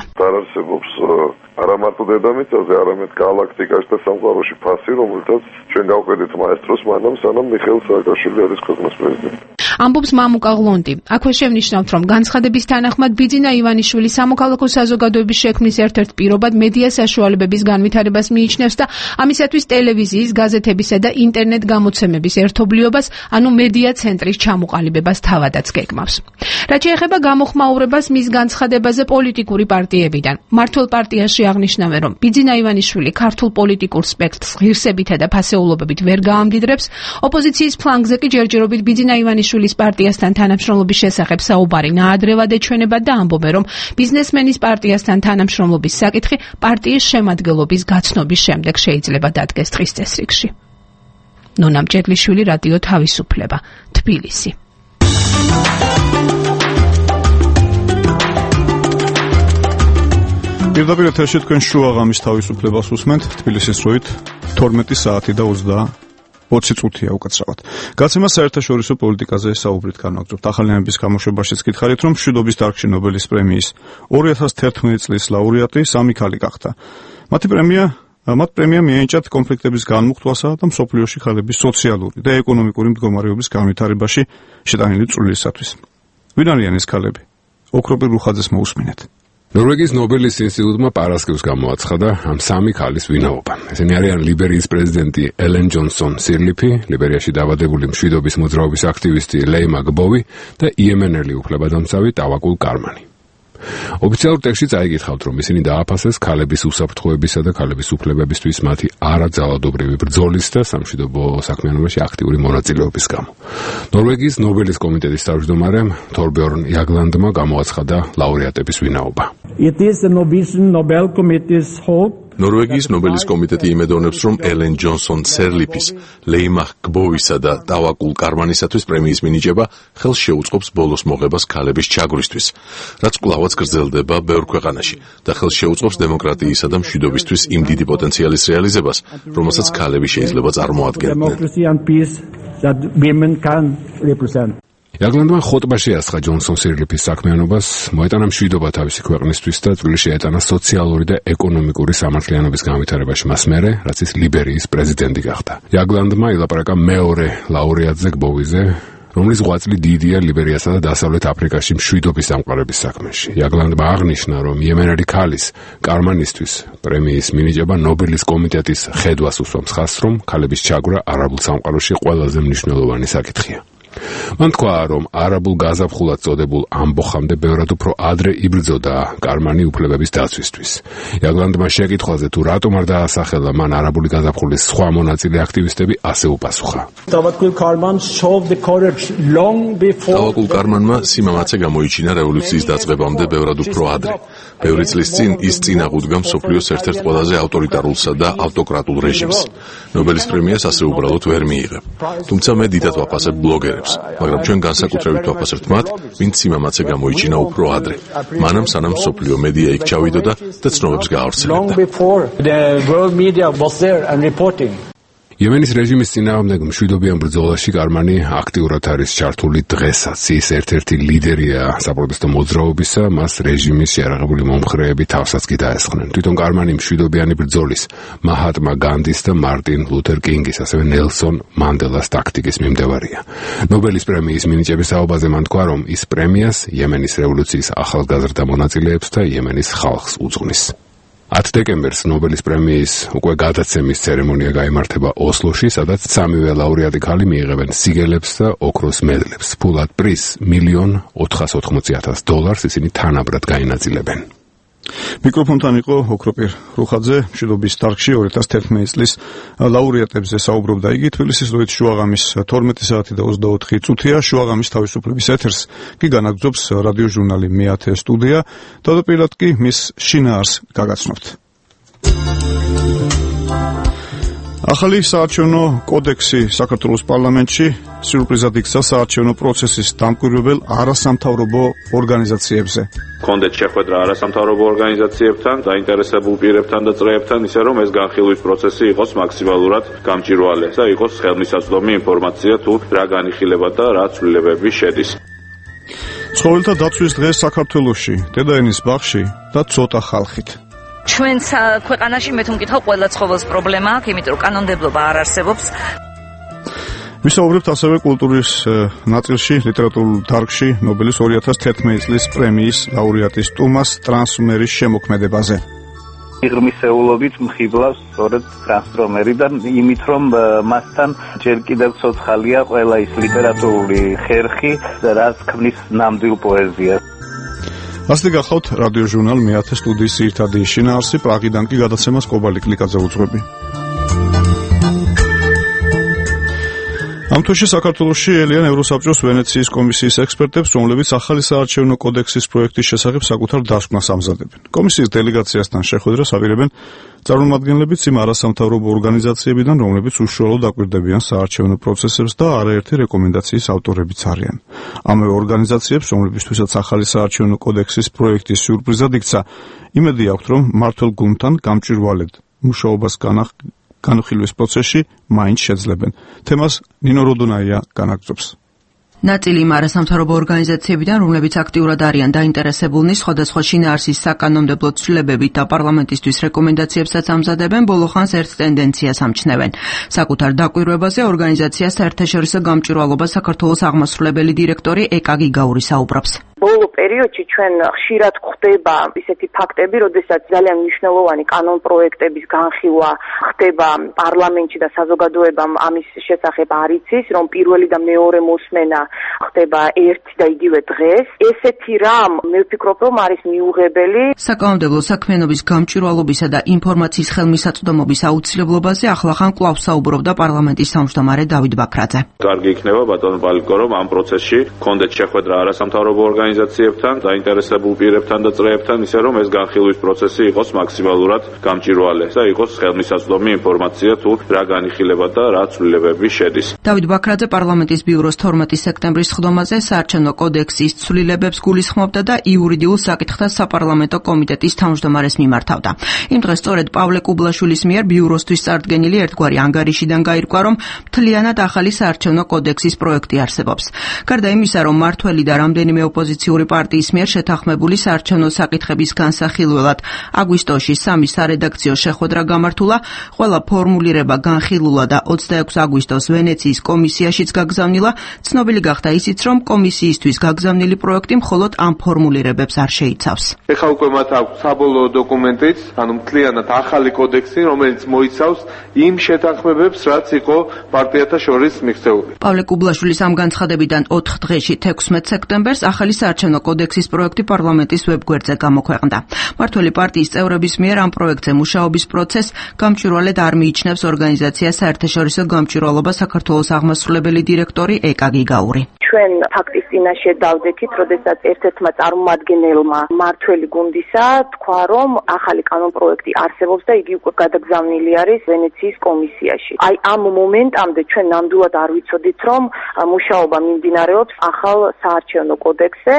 არა მარტო დედამიწაზე, არამედ გალაქტიკაში და სამყაროში ფასი, რომელთაც ჩვენ გავყიდით მაესტროს მანამ, სანამ მიხეილ სააკაშვილი არის ქვეყნის პრეზიდენტი. ამბობს მამუკა ღლონდი. აქვე შევნიშნავთ, რომ განცხადების თანახმად ბიძინა ივანიშვილი სამოქალაქო საზოგადოების შექმნის ერთ-ერთ პირობად მედია საშუალებების განვითარებას მიიჩნევს და ამისათვის ტელევიზიის, გაზეთებისა და ინტერნეტ გამოცემების ერთობლიობას, ანუ მედია ცენტრის ჩამოყალიბებას თავადაც გეკმავს. რაც შეეხება გამოხმაურებას მის განცხადებაზე პოლიტიკური პარტიებიდან. მართლ პარტიაში აღნიშნავენ, რომ ბიძინა ივანიშვილი ქართულ პოლიტიკურ სპექტრს ღირსებითა და ფასეულობებით ვერ გაამდიდრებს, ოპოზიციის ფლანგზე კი ჯერჯერობით ბიძინა ივანიშვილის პარტიასთან თანამშრომლობის შესახებ საუბარი ნაადრევად ეჩვენება და ამბობენ, რომ ბიზნესმენის პარტიასთან თანამშრომლობის საკითხი პარტიის შემადგენლობის გაცნობის შემდეგ შეიძლება დადგეს დღის წესრიგში. ნონა მჭედლიშვილი, რადიო თავისუფლება, თბილისი. პირდაპირ ეთერში თქვენ შუაღამის თავისუფლებას უსმენთ. თბილისის დროით 12 საათი და 20 წუთია უკაცრავად. გაცემა საერთაშორისო პოლიტიკაზე საუბრით განვაგრძობთ. ახალიანების გამოშვებაშიც გითხარით, რომ მშვიდობის დარგში ნობელის პრემიის 2011 წლის ლაურეატი სამი ქალი გახდა. მათ პრემია მიენიჭათ კონფლიქტების განმუხტვასა და მსოფლიოში ქალების სოციალური და ეკონომიკური მდგომარეობის განვითარებაში შეტანილი წვლილისათვის. ვინ არიან ეს ქალები? ოქროპირ რუხაძეს მოусმინეთ. ნორვეგიის ნობელის ინსტიტუტმა პარასკევს გამოაცხადა ამ სამი ქალის ვინაობა. ესენი არიან ლიბერიის პრეზიდენტი ელენ ჯონსონ სირლიფი, ლიბერიაში დაბადებული მშვიდობის მოძრაობის აქტივისტი ლეიმა გბოვი და იემენელი უფლებადამცავი ტავაკულ კარმანი. ოფიციალურ ტექსტში წაიგითხავთ, რომ ისინი დააფასეს ქალების უსაფრთხოებისა და ქალების უფლებებისთვის მათი არაძალადობრივი ბრძოლის და სამშვიდობო საქმიანობაში აქტიური მონაწილეობის გამო. ნორვეგიის ნობელის კომიტეტის თავმჯდომარემ თორბjörn Jaglandმა გამოაცხადა ლაურეატების ვინაობა. It is the Norwegian Nobel Committee's hope ნორვეგიის ნობელის კომიტეტი იმედოვნებს, რომ ელენ ჯონსონ სერლიფის, ლეიმა გბოვისა და ტავაკულ კარმანისათვის პრემიის მინიჭება ხელს შეუწყობს ბოლოს მოღებას ქალების ჩაგვრისთვის, რაც კვლავაც გრძელდება ბევრ ქვეყანაში და ხელს შეუწყობს დემოკრატიისა და მშვიდობისთვის იმ დიდი პოტენციალის რეალიზებას, რომელსაც ქალები შეიძლება წარმოადგენდნენ. Jaglandმა ხოტბაში ასხა ჯონსონ სირლიფის საქმიანობას, მოეტანა მშვიდობა თავისი ქვეყნისთვის და წვლილი შეეტანა სოციალური და ეკონომიკური სამართლიანობის განვითარებაში მას მერე, რაც ის ლიბერიის პრეზიდენტი გახდა. Jaglandმა ილაპარაკა მეორე ლაურეატზე გბოვიზე, რომლის ღვაწლი დიდია ლიბერიასა და დასავლეთ აფრიკაში მშვიდობის დამყარების საქმეში. Jaglandმა აღნიშნა, რომ იემენელი ქალის კარმანისთვის პრემიის მინიჭება ნობელის კომიტეტის ხედვას უსვამს ხაზს, რომ ქალების ჩაგვრა არაბულ სამყაროში ყველაზე მნიშვნელოვანი საკითხია. მან თქვა, რომ არაბულ გაზაფხულად წოდებულ ამბოხამდე ბევრად უფრო ადრე იბრძოდა კარმანი უფლებების დაცვისთვის. Jaglandმა შეკითხვაზე, თუ რატომ არ დაასახელა მან არაბული გაზაფხულის სხვა მონაწილე აქტივისტები, ასე უპასუხა. ტავაკულ კარმანმა სიმამაცე გამოიჩინა რევოლუციის დაწყებამდე ბევრად უფრო ადრე. ბევრი წლის წინ ის წინაღუდგა მსოფლიოს ერთ-ერთ ყველაზე ავტორიტარულსა და ავტოკრატულ რეჟიმს. ნობელის პრემიას ასე უბრალოდ ვერ მიიღებ. თუმცა მე დიდად ვაფასებ ბლოგერებს, მაგრამ ჩვენ განსაკუთრებით ვაფასებთ მათ, ვინც სიმამაცე გამოიჩინა უფრო ადრე. მანამ სანამ მსოფლიო მედია იქ ჩავიდოდა და ცნობებს გაავრცელებდა. იემენის რეჟიმის წინააღმდეგ მშვიდობიან ბრძოლაში კარმანი აქტიურად არის ჩართული დღესაც. ის ერთ-ერთი ლიდერია საპროტესტო მოძრაობისა, მას რეჟიმის შეარაღებული მომხრეები თავსაც კი დაესხნენ. თვითონ კარმანი მშვიდობიანი ბრძოლის, მაჰატმა განდის და მარტინ ლუთერ კინგის, ასევე ნელსონ მანდელას ტაქტიკის მიმდევარია. ნობელის პრემიის მინიჭების საუბაზე მან თქვა, რომ ის პრემიას იემენის რევოლუციის ახალგაზრდა მონაწილეებს და იემენის ხალხს უძღვნის. 10 დეკემბერს ნობელის პრემიის უკვე გადაცემის ცერემონია გაიმართება ოსლოში, სადაც სამივე ლაურეატი ქალი მიიღებენ სიგელებს და ოქროს მედლებს. ფულად პრიზს $1,480,000 ისინი თანაბრად გაინაწილებენ. მიკროფონთან იყო ოქროპირ რუხაძე, მშვიდობის დარგში 2011 წლის ლაურეატებზე საუბრობდა იგი. თბილისის დროით შუაღამის 12 საათი და 24 წუთია. შუაღამის თავისუფლების ეთერს კი განაგრძობს რადიო ჟურნალი მე-10 სტუდია. თავდაპირველად კი მის შინაარს გაგაცნობთ. ახალი საარჩევნო კოდექსი საქართველოს პარლამენტში სიურპრიზად იქცა საარჩევნო პროცესის დამკვირვებელ არასამთავრობო ორგანიზაციებზე. კონდეთ შეხვედრა არასამთავრობო ორგანიზაციებთან, დაინტერესებულ პირებთან და წრეებთან, ისე რომ ეს განხილვის პროცესი იყოს მაქსიმალურად გამჭვირვალე და იყოს ხელმისაწვდომი ინფორმაცია თუ რა განიხილება და რა ცვლილებები შედის. ცხოველთა დაცვის დღე საქართველოში, დედაენის ბაღში და ცოტა ხალხით. ჩვენს ქვეყანაში მე თუ მკითხავ ყველა ცხოველს პრობლემა აქვს, იმიტომ რომ კანონმდებლობა არ არსებობს. ვისაუბრებთ ასევე კულტურის ნაწილში, ლიტერატურულ დარგში ნობელის 2011 წლის პრემიის ლაურეატის ტუმას ტრანსმერის შემოქმედებაზე. ღირმისეულობით მხიბლავს სწორედ ტრანსფორმერი და იმით რომ მასთან ჯერ კიდევ ცოცხალია ყველა ის ლიტერატურული ხერხი, რაც ქმნის ნამდვილ პოეზიას. ასე გახლავთ რადიო ჟურნალ მე-10 სტუდიის ძირითადი შინაარსი, პრაღიდან კი გადაცემას კობალი კლიკაძე უძღვები. ამ თვეში საქართველოში ელიან ევროსაბჭოს ვენეციის კომისიის ექსპერტებს, რომლებიც ახალი საარჩევნო კოდექსის პროექტის შესახებ საკუთარ დასკვნას ამზადებენ. კომისიის დელეგაციასთან შეხვედრას აპირებენ წარმომადგენლებიც იმ არასამთავრობო ორგანიზაციებიდან, რომლებიც უშუალოდ აკვირდებიან საარჩევნო პროცესებს და არაერთი რეკომენდაციის ავტორებიც არიან. ამავე ორგანიზაციებს, რომლებისთვისაც ახალი საარჩევნო კოდექსის პროექტი სიურპრიზად იქცა, იმედი აქვთ, რომ მმართველ გუნდთან გამჭვირვალედ მუშაობას განხილვის პროცესში მაინც შეძლებენ. თემას ნინო როდონაია განაგრძობს. ნაწილი იმ არასამთავრობო ორგანიზაციებიდან, რომლებიც აქტიურად არიან დაინტერესებულნი სხვადასხვა შინაარსის საკანონმდებლო ცვლილებებით და პარლამენტისთვის რეკომენდაციებსაც ამზადებენ, ბოლოხანს ერთ ტენდენციას ამჩნევენ. საკუთარ დაკვირვებაზე ორგანიზაციას საერთაშორისო გამჭვირვალობა საქართველოს აღმასრულებელი დირექტორი ეკა გიგაური საუბრობს. ბოლო პერიოდში ჩვენ ხშირად ხდება ისეთი ფაქტები, როდესაც ძალიან მნიშვნელოვანი კანონპროექტების განხილვა ხდება პარლამენტში და საზოგადოებამ ამის შესახებ არ იცის, რომ პირველი და მეორე მოსმენა ხდება ერთი და იგივე დღეს. ესეთი რამ მე ვფიქრობ, რომ არის მიუღებელი. საკანონმდებლო საქმიანობის გამჭვირვალობისა და ინფორმაციის ხელმისაწვდომობის აუცილებლობაზე ახლახან კვლავ საუბრობდა პარლამენტის თავმჯდომარე დავით ბაქრაძე. კარგი იქნება ბატონო პალიკო, რომ ამ პროცესში კონდეთ შეხვედრა არასამთავრობო ორგანიზაციებთან, დაინტერესებულ პირებთან და წრეებთან, ისე რომ ეს განხილვის პროცესი იყოს მაქსიმალურად გამჭვირვალე და იყოს ხელმისაწვდომი ინფორმაცია თუ რა განიხილება და რა ცვლილებები შედის. დავით ბაქრაძე პარლამენტის ბიუროს 12 სექტემბრის სხდომაზე საარჩევნო კოდექსის ცვლილებებს გულისხმობდა და იურიდიულ საკითხთა საპარლამენტო კომიტეტის თავმჯდომარეს მიმართავდა. იმ დღეს სწორედ პავლე კუბლაშვილის მიერ ბიუროსთვის წარდგენილი ერთგვარი ანგარიშიდან გაირკვა, რომ მთლიანად ახალი საარჩევნო კოდექსის პროექტი არსებობს. გარდა იმისა, რომ მართველი და რამდენიმე ოპოზიციური პარტიის მიერ შეთანხმებული საარჩევნო საკითხების განსახილველად აგვისტოში 3 სარედაქციო შეხვედრა გამართულა, ყველა ფორმულირება განხილულა და 26 აგვისტოს ვენეციის კომისიაშიც გაგზავნილა. ცნობილი გახდა ისიც, რომ კომისიისთვის გაგზავნილი პროექტი მხოლოდ ამ ფორმულირებებს არ შეიცავს. ეხლა უკვე მათ აქვს საბოლოო დოკუმენტიც, ანუ მთლიანად ახალი კოდექსი, რომელიც მოიცავს იმ შეთანხმებებს, რაც იყო პარტიათა შორის მიღწეული. პავლე კუბლაშვილის ამ განცხადებიდან 4 დღეში 16 სექტემბერს ახალი საარჩევნო კოდექსის პროექტი პარლამენტის ვებგვერდზე გამოქვეყნდა. მართველი პარტიის წევრების მიერ ამ პროექტზე მუშაობის პროცესს გამჭვირვალედ არ მიიჩნევს ორგანიზაცია საერთაშორისო გამჭვირვალობა საქართველოს აღმასრულებელი დირექტორი ეკა გიგაური. ჩვენ ფაქტის წინაშე დავდექით, როდესაც ერთ-ერთმა წარმომადგენელმა მართველი გუნდისა თქვა, რომ ახალი კანონპროექტი არსებობს და იგი უკვე გადაგზავნილი არის ვენეციის კომისიაში. აი ამ მომენტამდე ჩვენ ნამდვილად არ ვიცოდით, რომ მუშაობა მიმდინარეობს ახალ საარჩევნო კოდექსზე.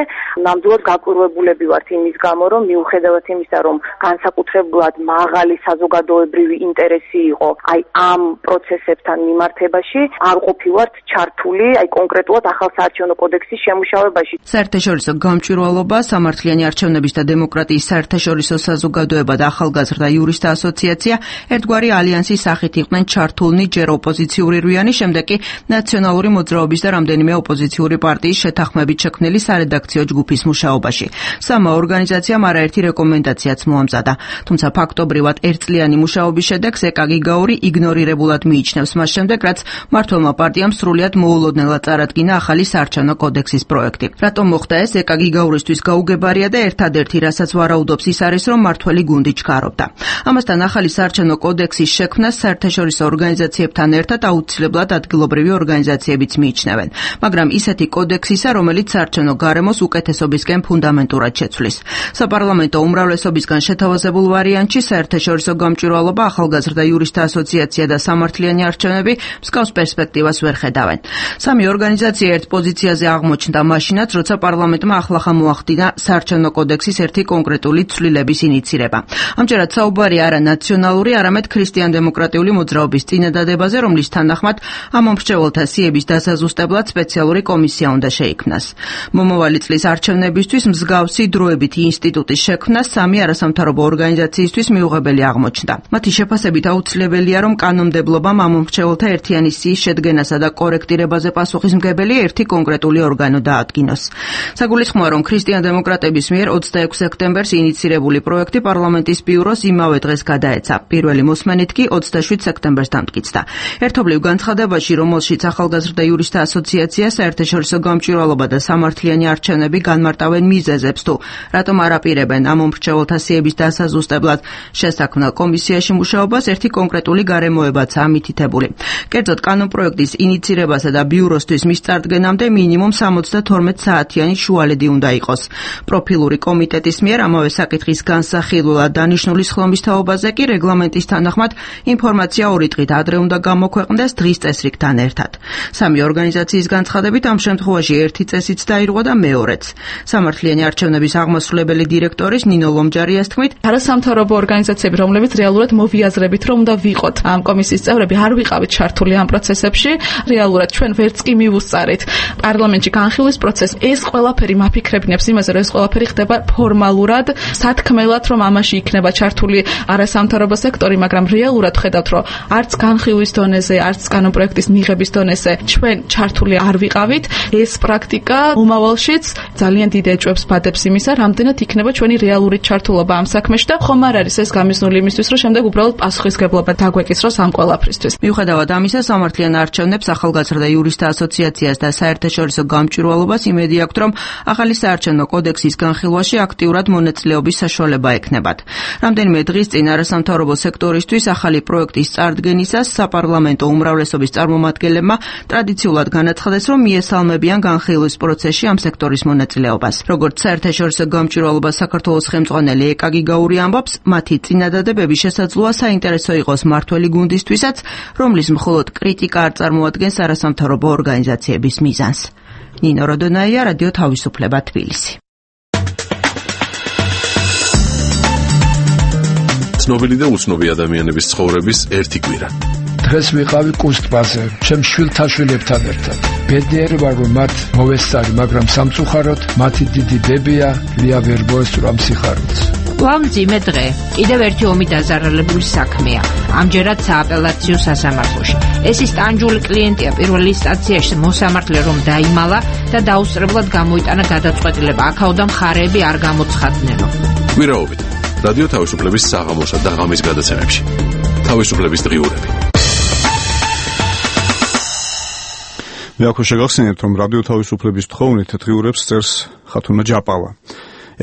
ნამდვილად გაკვირვებულები ვართ იმის გამო, რომ მიუხედავად იმისა, რომ განსაკუთრებულად მაღალი საზოგადოებრივი ინტერესი იყო აი ამ პროცესებთან მიმართებაში, არ ყოფილვართ ჩართული აი კონკრეტულად ახალ საარჩევნო კოდექსის შემუშავებაში. საერთაშორისო გამჭვირვალობა, სამართლიანი არჩევნების და დემოკრატიის საერთაშორისო საზოგადოება და ახალგაზრდა იურისტთა ასოციაცია ერთგვარი ალიანსის სახით იყვნენ ჩართულნი ჯერ ოპოზიციური რვიანი, შემდეგ კი ნაციონალური მოძრაობის და რამდენიმე ოპოზიციური პარტიის შეთანხმებით შექმნილი სარედაქციო ჯგუფის მუშაობაში. სამა ორგანიზაციამ არაერთი რეკომენდაციაც მოამზადა. თუმცა ფაქტობრივად ერთწლიანი მუშაობის შედეგს ეკა გიგაური იგნორირებულად მიიჩნევს მას შემდეგ, რაც მმართველმა პარტიამ სრულიად მოულოდნელად წარადგინა ახალი საარჩევნო კოდექსის პროექტი. რატომ მოხდა ეს? ეკა გიგაურისთვის გაუგებარია და ერთადერთი, რასაც ვარაუდობს, ის არის, რომ მმართველი გუნდი ჩქარობდა. ამასთან ახალი საარჩევნო კოდექსის შექმნას საერთაშორისო ორგანიზაციებთან ერთად აუცილებლად ადგილობრივი ორგანიზაციებიც მიიჩნევენ, მაგრამ ისეთი კოდექსისა, რომელიც საარჩევნო გარემოს უკეთესობისკენ ფუნდამენტურად შეცვლის. საპარლამენტო უმრავლესობისგან შეთავაზებულ ვარიანტში საერთაშორისო გამჭვირვალობა, ახალგაზრდა იურისტთა ასოციაცია და სამართლიანი არჩევნები მსგავს პერსპექტივას ვერ ხედავენ. სამი ორგანიზაცია ერთ პოზიციაზე აღმოჩნდა მაშინაც, როცა პარლამენტმა ახლახან მოახდინა საარჩევნო კოდექსის ერთი კონკრეტული ცვლილების ინიცირება. ამჯერად საუბარი არა ნაციონალური, არამედ ქრისტიან-დემოკრატიული მოძრაობის წინადადებაზე, რომლის თანახმად ამ მომრჩეველთა სიების დასაზუსტებლად სპეციალური კომისია უნდა შეიქმნას. მომავალი წლის არჩევნებისთვის მსგავსი დროებითი ინსტიტუტის შექმნა სამი არასამთავრობო ორგანიზაციისთვის მიუღებელი აღმოჩნდა. მათი შეფასებით აუცილებელია, რომ კანონმდებლობამ ამ მომრჩეველთა ერთიანი სიის შედგენასა და კორექტირებაზე პასუხისმგებელი ერთი კონკრეტული ორგანო დაადგინოს. საგულისხმოა, რომ ქრისტიან-დემოკრატების მიერ 26 სექტემბერს ინიცირებული პროექტი პარლამენტის ბიუროს იმავე დღეს გადაეცა. პირველი მოსმენით კი 27 სექტემბერს დამტკიცდა. ერთობლივ განცხადებაში, რომელშიც ახალგაზრდა იურისტთა ასოციაცია, საერთაშორისო გამჭვირვალობა და სამართლიანი არჩევნები განმარტავენ მიზეზებს თუ რატომ არ აპირებენ ამ მომრჩეველთა სიების დასაზუსტებლად შესაქმნელ კომისიაში მუშაობას, ერთი კონკრეტული გარემოებაცაა მითითებული. კერძოდ, კანონპროექტის ინიცირებასა და ბიუროსთვის მის წარდგენამდე მინიმუმ 72 საათიანი შუალედი უნდა იყოს. პროფილური კომიტეტის მიერ ამავე საკითხის განსახილველად დანიშნული სხდომის თაობაზე კი რეგლამენტის თანახმად ინფორმაცია 2 დღით ადრე უნდა გამოქვეყნდეს დღის წესრიგთან ერთად. სამი ორგანიზაციის განცხადებით ამ შემთხვევაში ერთი წესიც დაირღვა და მეორეც. სამართლიანი არჩევნების აღმასრულებელი დირექტორის ნინო ლომჯარიას თქმით, არასამთავრობო ორგანიზაციები, რომლებიც რეალურად მოვიაზრებით, რომ უნდა ვიყოთ ამ კომისიის წევრები, არ ვიყავით ჩართული ამ პროცესებში. რეალურად ჩვენ ვერც კი მივუსწარით პარლამენტში განხილვის პროცესს. ეს ყველაფერი მაფიქრებინებს იმაზე, რომ ეს ყველაფერი ხდება ფორმალურად, სათქმელად, რომ ამაში იქნება ჩართული არასამთავრობო სექტორი, მაგრამ რეალურად ხედავთ, რომ არც განხილვის დონეზე, არც კანონპროექტის მიღების დონეზე ჩვენ ჩართული არ ვიყავით. ეს პრაქტიკა მომავალშიც ძალიან დიდ ეჭვებს ბადებს იმისა, რამდენად იქნება ჩვენი რეალური ჩართულობა ამ საქმეში და ხომ არ არის ეს გამიზნული იმისთვის, რომ შემდეგ უბრალოდ პასუხისგებლობა დაგვეკისროს ამ ყველაფრისთვის. მიუხედავად ამისა, სამართლიან არჩევნებს ახალგაზრდა იურისტთა ასოციაციას და საერთაშორისო გამჭვირვალობას იმედი აქვთ, რომ ახალი საარჩევნო კოდექსის განხილვაში აქტიურად მონაწილეობის საშუალება ექნებათ. რამდენიმე დღის წინ არასამთავრობო სექტორისთვის ახალი პროექტის წარდგენისას საპარლამენტო უმრავლესობის წარმომადგენლებმა ტრადიციულად განაცხადეს, რომ მიესალმებიან განხილვის პროცესში ამ სექტორის მონაწილეობას. როგორც საერთაშორისო გამჭვირვალობას საქართველოს ხელმძღვანელი ეკა გიგაური ამბობს, მათი წინადადებები შესაძლოა საინტერესო იყოს მართველი გუნდისთვისაც, რომლის მხოლოდ კრიტიკა არ წარმოადგენს არასამთავრობო ორგანიზაციების მიზანს. ნინო როდონაია, რადიო თავისუფლება, თბილისი. ცნობილი და უცნობი ადამიანების ცხოვრების ერთი კვირა. დღეს ვიყავი კუსტბაზე, ჩემ შვილთაშვილებთან ერთად. ბედნიერი ვარ, რომ მათ მოვესწარი, მაგრამ სამწუხაროდ მათი დიდი დებია ლია ვერ მოესწრო ამ სიხარულს. მძიმე დღე. კიდევ ერთი ომი დაზარალებული საქმეა. ამჯერად სააპელაციო სასამართლოში. ეს ის ტანჯული კლიენტია პირველ ინსტანციაში მოსამართლე რომ დაიმალა და დაუსწრებლად გამოიტანა გადაწყვეტილება. აქაოდან მხარეები არ გამოცხადნენო. კვირაობით რადიო თავისუფლების საღამოსა და ღამის გადაცემებში. თავისუფლების დღიურები. მე აქ შეგახსენებთ, რომ რადიო თავისუფლების თხოვნით დღიურებს წერს ხათუნა ჯაპავა.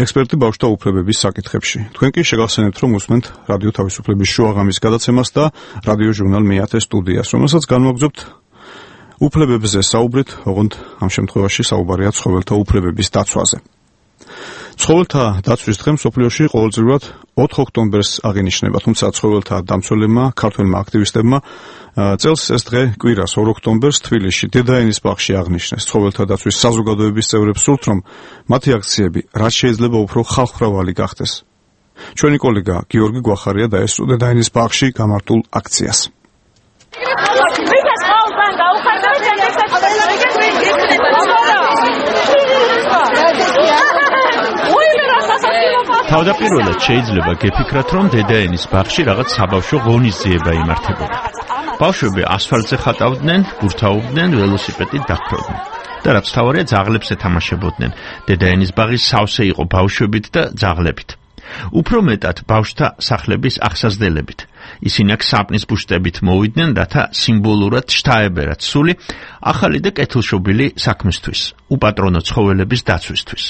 ექსპერტი ბავშვთა უფლებების საკითხებში. თქვენ კი შეგახსენებთ, რომ უსმენთ რადიო თავისუფლების შუაღამის გადაცემას და რადიო ჟურნალ მეათე სტუდიას, რომელსაც განვაგრძობთ უფლებებზე საუბრით, ოღონდ ამ შემთხვევაში საუბარია ცხოველთა უფლებების დაცვაზე. ცხოველთა დაცვის დღე მსოფლიოში ყოველწლიურად 4 ოქტომბერს აღინიშნება, თუმცა ცხოველთა დამცველებმა, ქართველმა აქტივისტებმა წელს ეს დღე კვირას 2 ოქტომბერს თბილისში დედაენის ბაღში აღნიშნეს. ცხოველთა დაცვის საზოგადოების წევრებს სურთ, რომ მათი აქციები რაც შეიძლება უფრო ხალხმრავალი გახდეს. ჩვენი კოლეგა გიორგი გვახარია დაესწრო დედაენის ბაღში გამართულ აქციას. თავდაპირველად შეიძლება გეფიქრათ, რომ დედაენის ბაღში რაღაც საბავშვო ღონისძიება იმართებოდა. ბავშვები ასფალტზე ხატავდნენ, გურთავდნენ, ველოსიპედით დახროდნენ. და რაც თავარია, ძაღლებს ეთამაშებოდნენ. დედაენის ბაღი სავსე იყო ბავშვებით და ძაღლებით. უფრო მეტად ბავშვთა სახლების აღსაზრდელებით. ისინი აქ საპნის ბუშტებით მოვიდნენ, რათა სიმბოლურად შთაებერათ სული ახალი და კეთილშობილი საქმისთვის, უპატრონო ცხოველების დაცვისთვის.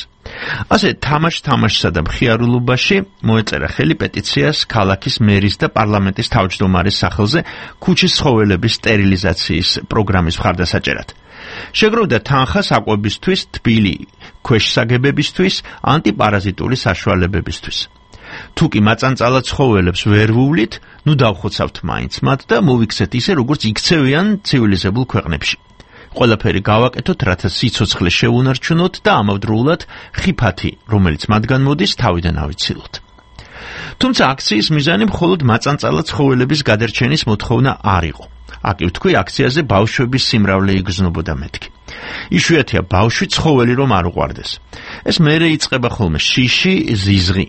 ასე თამაშსა და მხიარულობაში მოეწერა ხელი პეტიციას ქალაქის მერის და პარლამენტის თავმჯდომარის სახელზე ქუჩის ცხოველების სტერილიზაციის პროგრამის მხარდასაჭერად. შეგროვდა თანხა საკვებისთვის, თბილი ქვეშსაგებებისთვის, ანტიპარაზიტული საშუალებებისთვის. თუ კი მაწანწალად ცხოველებს ვერ ვუვლით, ნუ დავხოცავთ მაინც მათ და მოვიქცეთ ისე, როგორც იქცევიან ცივილიზებულ ქვეყნებში. ყველაფერი გავაკეთოთ, რათა სიცოცხლე შევუნარჩუნოთ და ამავდროულად ხიფათი, რომელიც მათგან მოდის, თავიდან ავიცილოთ. თუმცა აქციის მიზანი მხოლოდ მაწანწალად ცხოველების გადარჩენის მოთხოვნა არ იყო. აკი ვთქვი, აქციაზე ბავშვების სიმრავლე იგრძნობოდა მეთქი. იშვიათია ბავშვი ცხოველი რომ არ უყვარდეს. ეს მერე იწყება ხოლმე შიში, ზიზღი.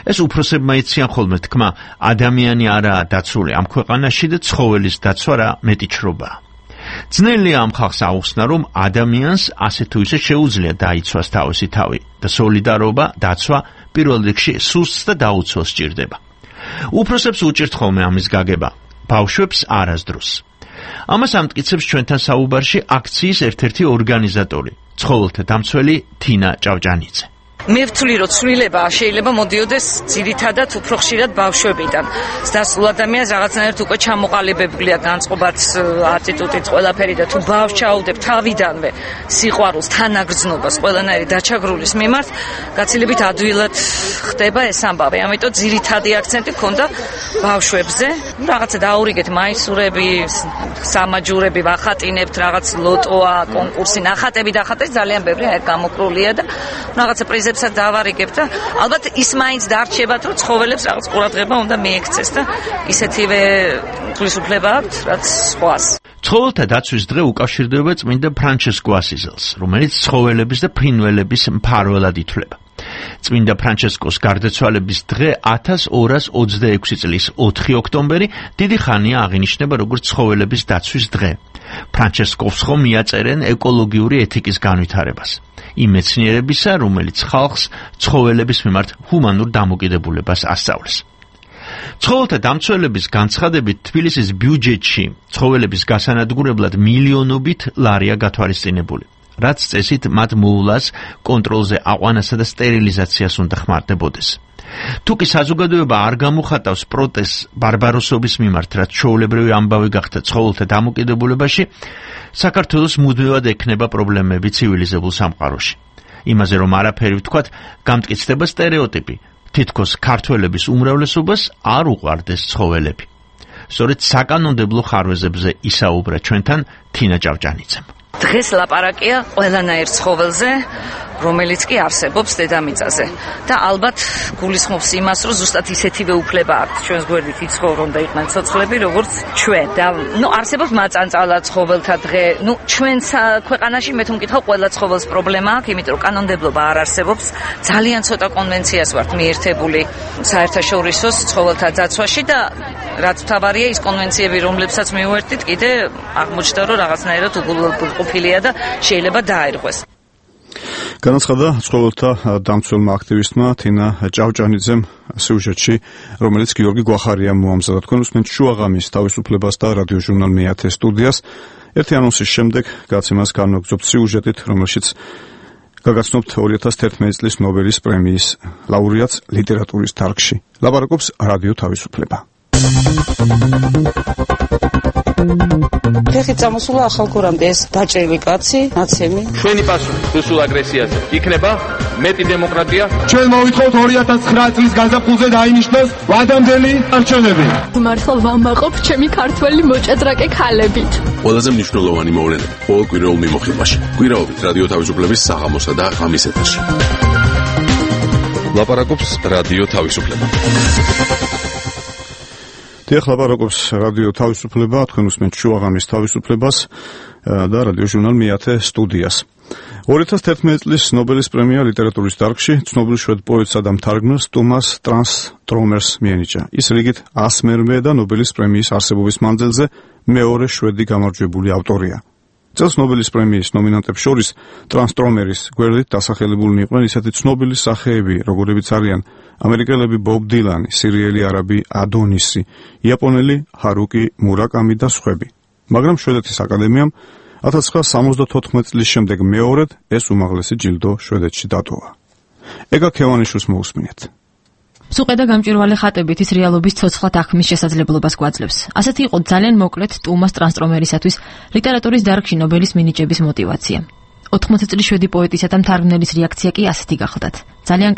ეს უფროსებმა იციან ხოლმე თქმა, ადამიანი არაა დაცული ამ ქვეყანაში და ცხოველის დაცვა რა მეტი ჩრობაა. ძნელია ამ ხალხს აუხსნა, რომ ადამიანს ასე თუ ისე შეუძლია დაიცვას თავისი თავი და სოლიდარობა, დაცვა პირველ რიგში სუსტს და დაუცველს სჭირდება. უფროსებს უჭირთ ხოლმე ამის გაგება, ბავშვებს არასდროს. ამას ამტკიცებს ჩვენთან საუბარში აქციის ერთ-ერთი ორგანიზატორი, ცხოველთა დამცველი თინა ჭავჭანიძე. მე ვთვლი, რომ ცვლილება შეიძლება მოდიოდეს ძირითადად უფრო ხშირად ბავშვებიდან. დასულ ადამიანს რაღაცნაირად უკვე ჩამოყალიბებულია განწყობაც, ატიტუდით, ყველაფერი და თუ ბავშვს ჩაუდებ თავიდანვე სიყვარულს, თანაგრძნობას, ყველანაირი დაჩაგრულის მიმართ, გაცილებით ადვილად ხდება ეს ამბავი. ამიტომ ძირითადი აქცენტი ქონდა ბავშვებზე. რაღაცა დაურიგეთ მაისურები, სამაჯურები ვახატინებთ, რაღაც ლოტოა, კონკურსი, ნახატები დახატეს, ძალიან ბევრი აი გამოკრულია და რაღაცა პრიზებს დავარიგებ და ალბათ ის მაინც დარჩებათ, რომ ცხოველებს რაღაც ყურადღება უნდა მიექცეს და ისეთივე თვისუფლება აქვთ, რაც სხვას. ცხოველთა დაცვის დღე უკავშირდება წმინდა ფრანჩესკო ასიზელს, რომელიც ცხოველების და ფრინველების მფარველად ითვლება. წმინდა ფრანჩესკოს გარდაცვალების დღე 1226 წლის 4 ოქტომბერი დიდი ხანია აღინიშნება როგორც ცხოველების დაცვის დღე. ფრანჩესკოს ხომ მიაწერენ ეკოლოგიური ეთიკის განვითარებას. იმ მეცნიერებისა, რომელიც ხალხს ცხოველების მიმართ ჰუმანურ დამოკიდებულებას ასწავლის. ცხოველთა დამცველების განცხადებით თბილისის ბიუჯეტში ცხოველების გასანადგურებლად მილიონობით ლარია გათვალისწინებული, რაც წესით მათ მოვლას, კონტროლზე აყვანასა და სტერილიზაციას უნდა ხმარდებოდეს. თუკი საზოგადოება არ გამოხატავს პროტესტს ბარბაროსობის მიმართ, რაც ჩვეულებრივი ამბავი გახდა ცხოველთა დამოკიდებულებაში, საქართველოს მუდმივად ექნება პრობლემები ცივილიზებულ სამყაროში. იმაზე რომ არაფერი ვთქვათ, გამტკიცდება სტერეოტიპი, თითქოს ქართველების უმრავლესობას არ უყვარდეს ცხოველები. სწორედ საკანონმდებლო ხარვეზებზე ისაუბრა ჩვენთან თინა ჭავჭანიძემ. დღეს ლაპარაკია ყველანაირ ცხოველზე, რომელიც კი არსებობს დედამიწაზე და ალბათ გულისხმობს იმას, რომ ზუსტად ისეთივე უფლება აქვს ჩვენს გვერდით იცხოვრონ და იყვნენ ცოცხლები, როგორც ჩვენ. და არსებობს მაწანწალა ცხოველთა დღე. ჩვენ ქვეყანაში მე თუ მკითხავ, ყველა ცხოველს პრობლემა აქვს, იმიტომ რომ კანონმდებლობა არ არსებობს. ძალიან ცოტა კონვენციას ვართ მიერთებული საერთაშორისო ცხოველთა დაცვაში და რაც მთავარია, ის კონვენციები, რომლებსაც მივუერთდით, კიდე აღმოჩნდა, რომ რაღაცნაირად უგულყოფილია და შეიძლება დააირღვეს. განაცხადა ცხოველთა დამცველმა აქტივისტმა თინა ჭავჭანიძემ სიუჟეტში, რომელიც გიორგი გვახარიამ მოამზადა. თქვენ უსმენთ შუაღამის თავისუფლებას და რადიოჟურნალ მეათე სტუდიას. ერთი ანონსის შემდეგ გაცემას განვაგრძობთ სიუჟეტით, რომელშიც გაგაცნობთ 2011 წლის ნობელის პრემიის ლაურეატს ლიტერატურის დარგში. ლაპარაკობს რადიო თავისუფლება. ხეხი წამოსულა ახალგორამდე ეს დაჭრილი კაცი, ნაცემი. ჩვენი პასუხი რუსულ აგრესიაზე იქნება მეტი დემოკრატია. ჩვენ მოვითხოვთ 2009 წლის გაზაფხულზე დაინიშნოს ვადამდელი არჩევნები. მართლა ვამაყობ ჩემი ქართველი მოჭადრაკე ქალებით. ყველაზე მნიშვნელოვანი მოვლენები ყოველ კვირაულ მიმოხილვაში. კვირაობით რადიო თავისუფლების საღამოსა და ღამის ეთერში. ლაპარაკობს რადიო თავისუფლება. დიახ, ლაპარაკობს რადიო თავისუფლება, თქვენ უსმენთ შუაღამის თავისუფლებას და რადიოჟურნალ მეათე სტუდიას. 2011 წლის ნობელის პრემია ლიტერატურის დარგში ცნობილ შვედ პოეტსა და მთარგმნელს ტომას ტრანსტრომერს მიენიჭა. ის რიგით 100-მერვე და ნობელის პრემიის არსებობის მანძილზე მეორე შვედი გამარჯვებული ავტორია. წელს ნობელის პრემიის ნომინანტებს შორის ტრანსტრომერის გვერდით დასახელებულნი იყვნენ ისეთი ცნობილი სახეები, როგორებიც არიან ამერიკელები ბობ დილანი, სირიელი არაბი ადონისი, იაპონელი ჰარუკი მურაკამი და სხვები. მაგრამ შვედეთის აკადემიამ 1974 წლის შემდეგ მეორედ ეს უმაღლესი ჯილდო შვედეთში დატოვა. ეგა ქევანიშვილს მოусმინეთ. სუყე და გამჭვირვალე ხატებით ის რეალობის ცოცხლად აღქმის შესაძლებლობას გვაძლევს. ასეთი იყო ძალიან მოკლედ ტუმას ტრანსტრომერისათვის ლიტერატურის დარგში ნობელის მინიჭების мотиваცია. 80 წლის შვედი პოეტისა და მთარგმნელის რეაქცია კი ასეთი გახლდათ. ძალიან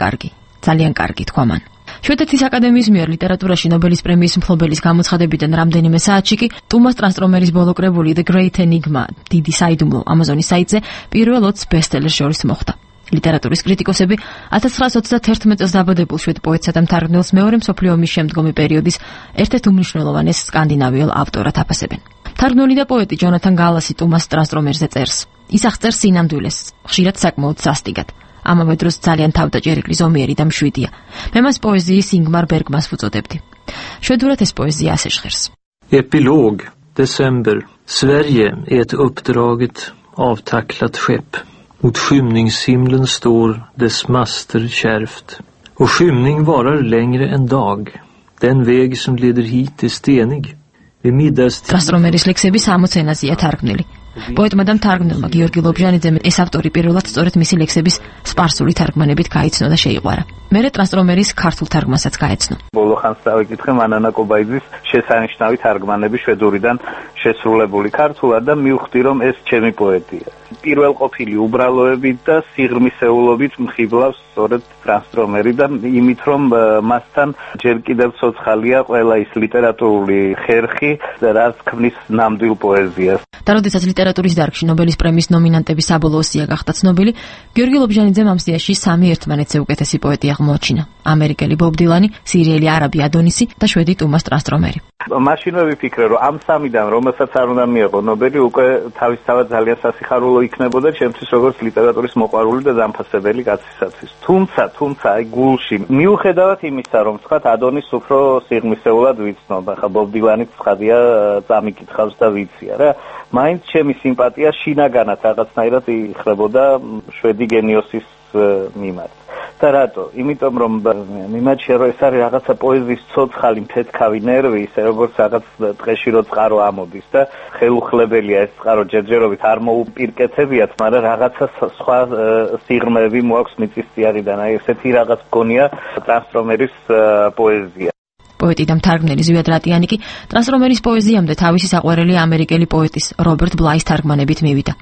კარგი, თქვა მან. შვედეთის აკადემიის მიერ ლიტერატურაში ნობელის პრემიის მფლობელის გამოცხადებიდან რამდენიმე საათში კი ტუმას ტრანსტრომერის ბოლოკრებული The Great Enigma, დიდი საიდუმლო ამაზონის საიტზე პირველ 20 ბესტსელერს შორის მოხვდა. ლიტერატურის კრიტიკოსები 1921 წელს დაბადებულ შვედ პოეტსა და მთარგმნელს მეორე მსოფლიო ომის შემდგომი პერიოდის ერთ-ერთ უმნიშვნელოვანეს სკანდინავიელ ავტორად აფასებენ. თარგმნელი და პოეტი ჯონათან გალასი ტუმას ტრანსტრომერზე წერს. ის აღწერს სინამდვილეს, ხშირად საკმაოდ სასტიკად. ამავე დროს ძალიან თავდაჭერილი, ზომიერი და მშვიდია. მე მას პოეზიის ინგმარ ბერგმანს ვუწოდებდი. შვედურად ეს პოეზია ასე ჟღერს. Epilog, december. Sverige är ett uppdraget avtacklat skepp. Mot skymningshimlen står dess master kärvt. Och skymning varar längre än dag. Den väg som leder hit är stenig. Vid middagstid... ტრანსტრომერის ლექსები 60 ენაზეა თარგმნილი. პოეტმა და მთარგმნელმა გიორგი ლობჟანიძემ ეს ავტორი პირველად სწორედ მისი ლექსების სპარსული თარგმანებით გაიცნო და შეიყვარა. მერე ტრანსტრომერის ქართულ თარგმანსაც გაეცნო. ბოლო ხანს დავიკითხე მანანა კობაიძის შესანიშნავი თარგმანები შვედურიდან შესრულებული ქართულად და მივხვდი რომ ეს ჩემი პოეტია. პირველყოფილი უბრალოებით და სიღრმისეულობით მხიბლავს სწორედ ტრანსტრომერი და იმით რომ მასთან ჯერ კიდევ ცოცხალია ყველა ის ლიტერატურული ხერხი რაც ქმნის ნამდვილ პოეზიას. და როდესაც ლიტერატურის დარგში ნობელის პრემიის ნომინანტების საბოლოო სია გახდა ცნობილი, გიორგი ლობჟანიძემ ამ სიაში 3 ერთმანეთზე უკეთესი პოეტი აღმოაჩინა: ამერიკელი ბობ დილანი, სირიელი არაბი ადონისი და შვედი ტუმას ტრანსტრომერი. მაშინვე ვიფიქრე რომ ამ სამიდან რომელსაც არ უნდა მიეღო ნობელი უკვე თავისთავად ძალიან სასიხარულო იქნებოდა ჩემთვის როგორც ლიტერატურის მოყვარული და დამფასებელი კაცისათვის. თუმცა აი გულში მიუხედავად იმისა რომ თქვათ ადონის უფრო სიღრმისეულად ვიცნობ, ახლა ბობ დილანიც ცხადია წამიკითხავს და ვიცია რა, მაინც ჩემი სიმპათია შინაგანად რაღაცნაირად იხრებოდა შვედი გენიოსის მიმართ. და რატო? იმიტომ რომ მიმაჩნია რომ ეს არის რაღაცა პოეზიის ცოცხალი მფეთქავი ნერვი, ისე როგორც რაღაც დღეში რო წყარო ამოდის და ხელუხლებელია ეს წყარო ჯერჯერობით არ მოუპირკეთებიათ, მაგრამ რაღაცა სხვა სიღრმეები მოაქვს მიწისწიარიდან. აი ესეთი რაღაც მგონია ტრანსტრომერის პოეზია. პოეტი და მთარგმნელი ზვიად რატიანი კი ტრანსტრომერის პოეზიამდე თავისი საყვარელი ამერიკელი პოეტის რობერტ ბლაის თარგმანებით მივიდა.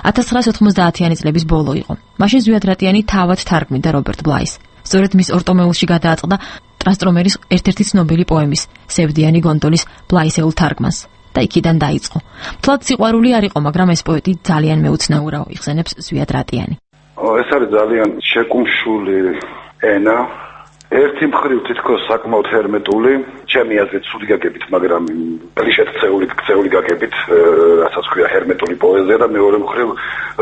1990-იანი წლების ბოლო იყო. მაშინ ზვიად რატიანი თავად თარგმნიდა რობერტ ბლაის. სწორედ მის ორტომეულში გადააწყდა ტრანსტრომერის ერთ-ერთი ცნობილი პოემის, სევდიანი გონდოლის ბლაისეულ თარგმანს და იქიდან დაიწყო. თლად სიყვარული არ იყო, მაგრამ ეს პოეტი ძალიან მეუცნაურაო, იხსენებს ზვიად რატიანი. ეს არის ძალიან შეკუმშული ენა. ერთი მხრივ თითქოს საკმაოდ ჰერმეტული, ჩემი აზრით ცუდი გაგებით, მაგრამ კლიშეთ ქცეული გაგებით, რასაც ქვია ჰერმეტული პოეზია და მეორე მხრივ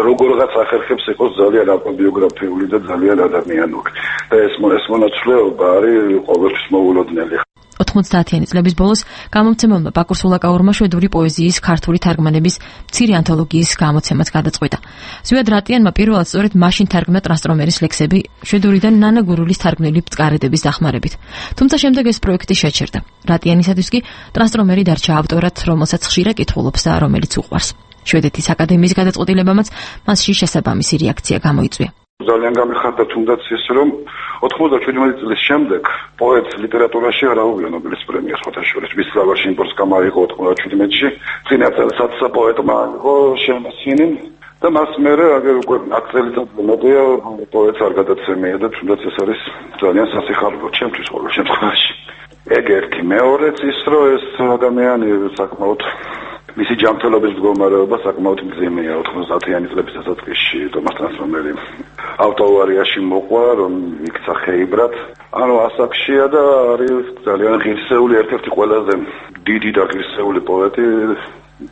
როგორღაც ახერხებს იყოს ძალიან ავტობიოგრაფიული და ძალიან ადამიანური. და ეს მონაცვლეობა არის ყოველთვის მოულოდნელი. 90-იანი წლების ბოლოს გამომცემელმა ბაკურ სულაკაურმა შვედური პოეზიის ქართული თარგმანების მცირე ანთოლოგიის გამოცემაც გადაწყვიტა. ზვიად რატიანმა პირველად სწორედ მაშინ თარგმნა ტრანსტრომერის ლექსები შვედურიდან ნანა გურულის თარგმნილი ბწყარედების დახმარებით. თუმცა შემდეგ ეს პროექტი შეჩერდა. რატიანისათვის კი ტრანსტრომერი დარჩა ავტორად, რომელსაც ხშირად კითხულობს და რომელიც უყვარს. შვედეთის აკადემიის გადაწყვეტილებამაც მასში შესაბამისი რეაქცია გამოიწვია. ძალიან გამიხარდა თუნდაც ის რომ 97 წლის შემდეგ პოეტს ლიტერატურაში არ აუღია ნობელის პრემია სხვათაშორის. მის ლავაში იმპორტს გამაიღო 97-ში. წინა წელსაც პოეტმა იყო შემოსინი და მას მერე აგერ უკვე 10 წელიწადზე მეტია პოეტს არ გადაცემია და თუნდაც ეს არის ძალიან სასიხარულო ჩემთვის ყოველ შემთხვევაში. ეგ ერთი. მეორეც ის რომ ეს ადამიანი საკმაოდ მისი ჯანმრთელობის მდგომარეობა საკმაოდ მძიმეა. 90-იანი წლების დასაწყისში ტომას ტრანსტრომერი ავტოავარიაში მოყვა, რომ იქცა ხეიბრად. ანუ ასაკშია და არის ძალიან ღირსეული, ერთ-ერთი ყველაზე დიდი და ღირსეული პოეტი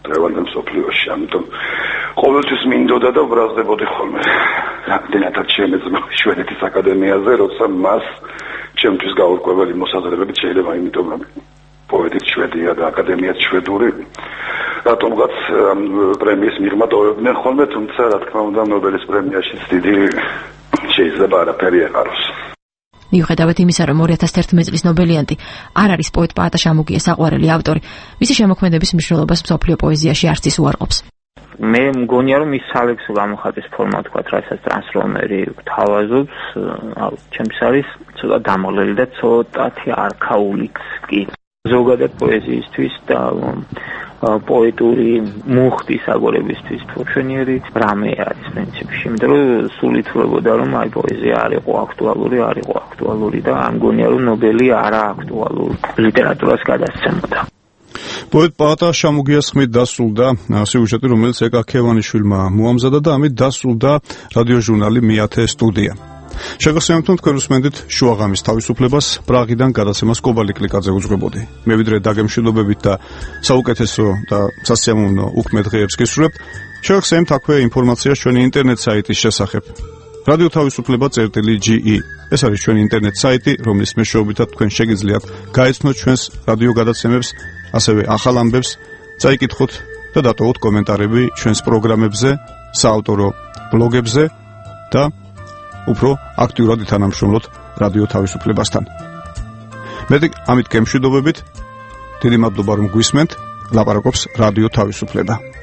დღევანდელ მსოფლიოში. ამიტომ ყოველთვის მინდოდა და ვბრაზდებოდი ხოლმე რამდენადაც შემეძლო შვედეთის აკადემიაზე, როცა მას ჩემთვის გაურკვეველი მოსაზრებებით შეიძლება, იმიტომ რომ პოეტი შვედია და აკადემიაც შვედური. რატომღაც პრემიის მიღმა ტოვებდნენ ხოლმე, თუმცა რა თქმა უნდა ნობელის პრემიაშიც დიდი შეიძლება არაფერი ეყაროს. მიუხედავად იმისა, რომ 2011 წლის ნობელიანტი არ არის პოეტ პაატა შამუგიას საყვარელი ავტორი, მისი შემოქმედების მნიშვნელობას მსოფლიო პოეზიაში არც ის უარყოფს. მე მგონია რომ ის სალექსო გამოხატვის ფორმა თქვა, რასაც ტრანსტრომერი თავაზობს, ჩემს არის ცოტა დამღლელი და ცოტათი არქაულიც კი. ზოგადად პოეზიისთვის და პოეტური მუხტის აგორებისთვის თურქენიერი რამე არის პრინციპში, იმიტომ რომ სულ ითვლებოდა რომ აი პოეზია არ იყო აქტუალური და ამ გონია რომ ნობელი არა აქტუალურ ლიტერატურას გადასცემოდა. პოეტ პაატა შამუგიას ხმით დასრულდა სიუჟეტი, რომელიც ეკა ქევანიშვილმა მოამზადა და ამით დასრულდა რადიოჟურნალი მეათე სტუდია. შეგახსენებთ, რომ თქვენ უსმენთ შუაღამის თავისუფლებას პრაღიდან გადაცემას კობალი კლიკაძე უძღვებოდი. მე ვიდრე დაგემშვიდობებით და საუკეთესო და სასიამოვნო უქმე დღეებს გისურვებთ. შეგახსენებთ აქვე ინფორმაციას ჩვენი ინტერნეტ საიტის შესახებ. რადიო თავისუფლება.ge ეს არის ჩვენი ინტერნეტ საიტი, რომლის მეშვეობითაც თქვენ შეგიძლიათ გაეცნოთ ჩვენს რადიო გადაცემებს, ასევე ახალ ამბებს, წაიკითხოთ და დატოვოთ კომენტარები ჩვენს პროგრამებზე, საავტორო ბლოგებზე და უფრო აქტიურად ითანამშრომლოთ რადიო თავისუფლებასთან. მეტი ამით გემშვიდობებით. დიდი მადლობა რომ გვისმენთ. ლაპარაკობს რადიო თავისუფლება.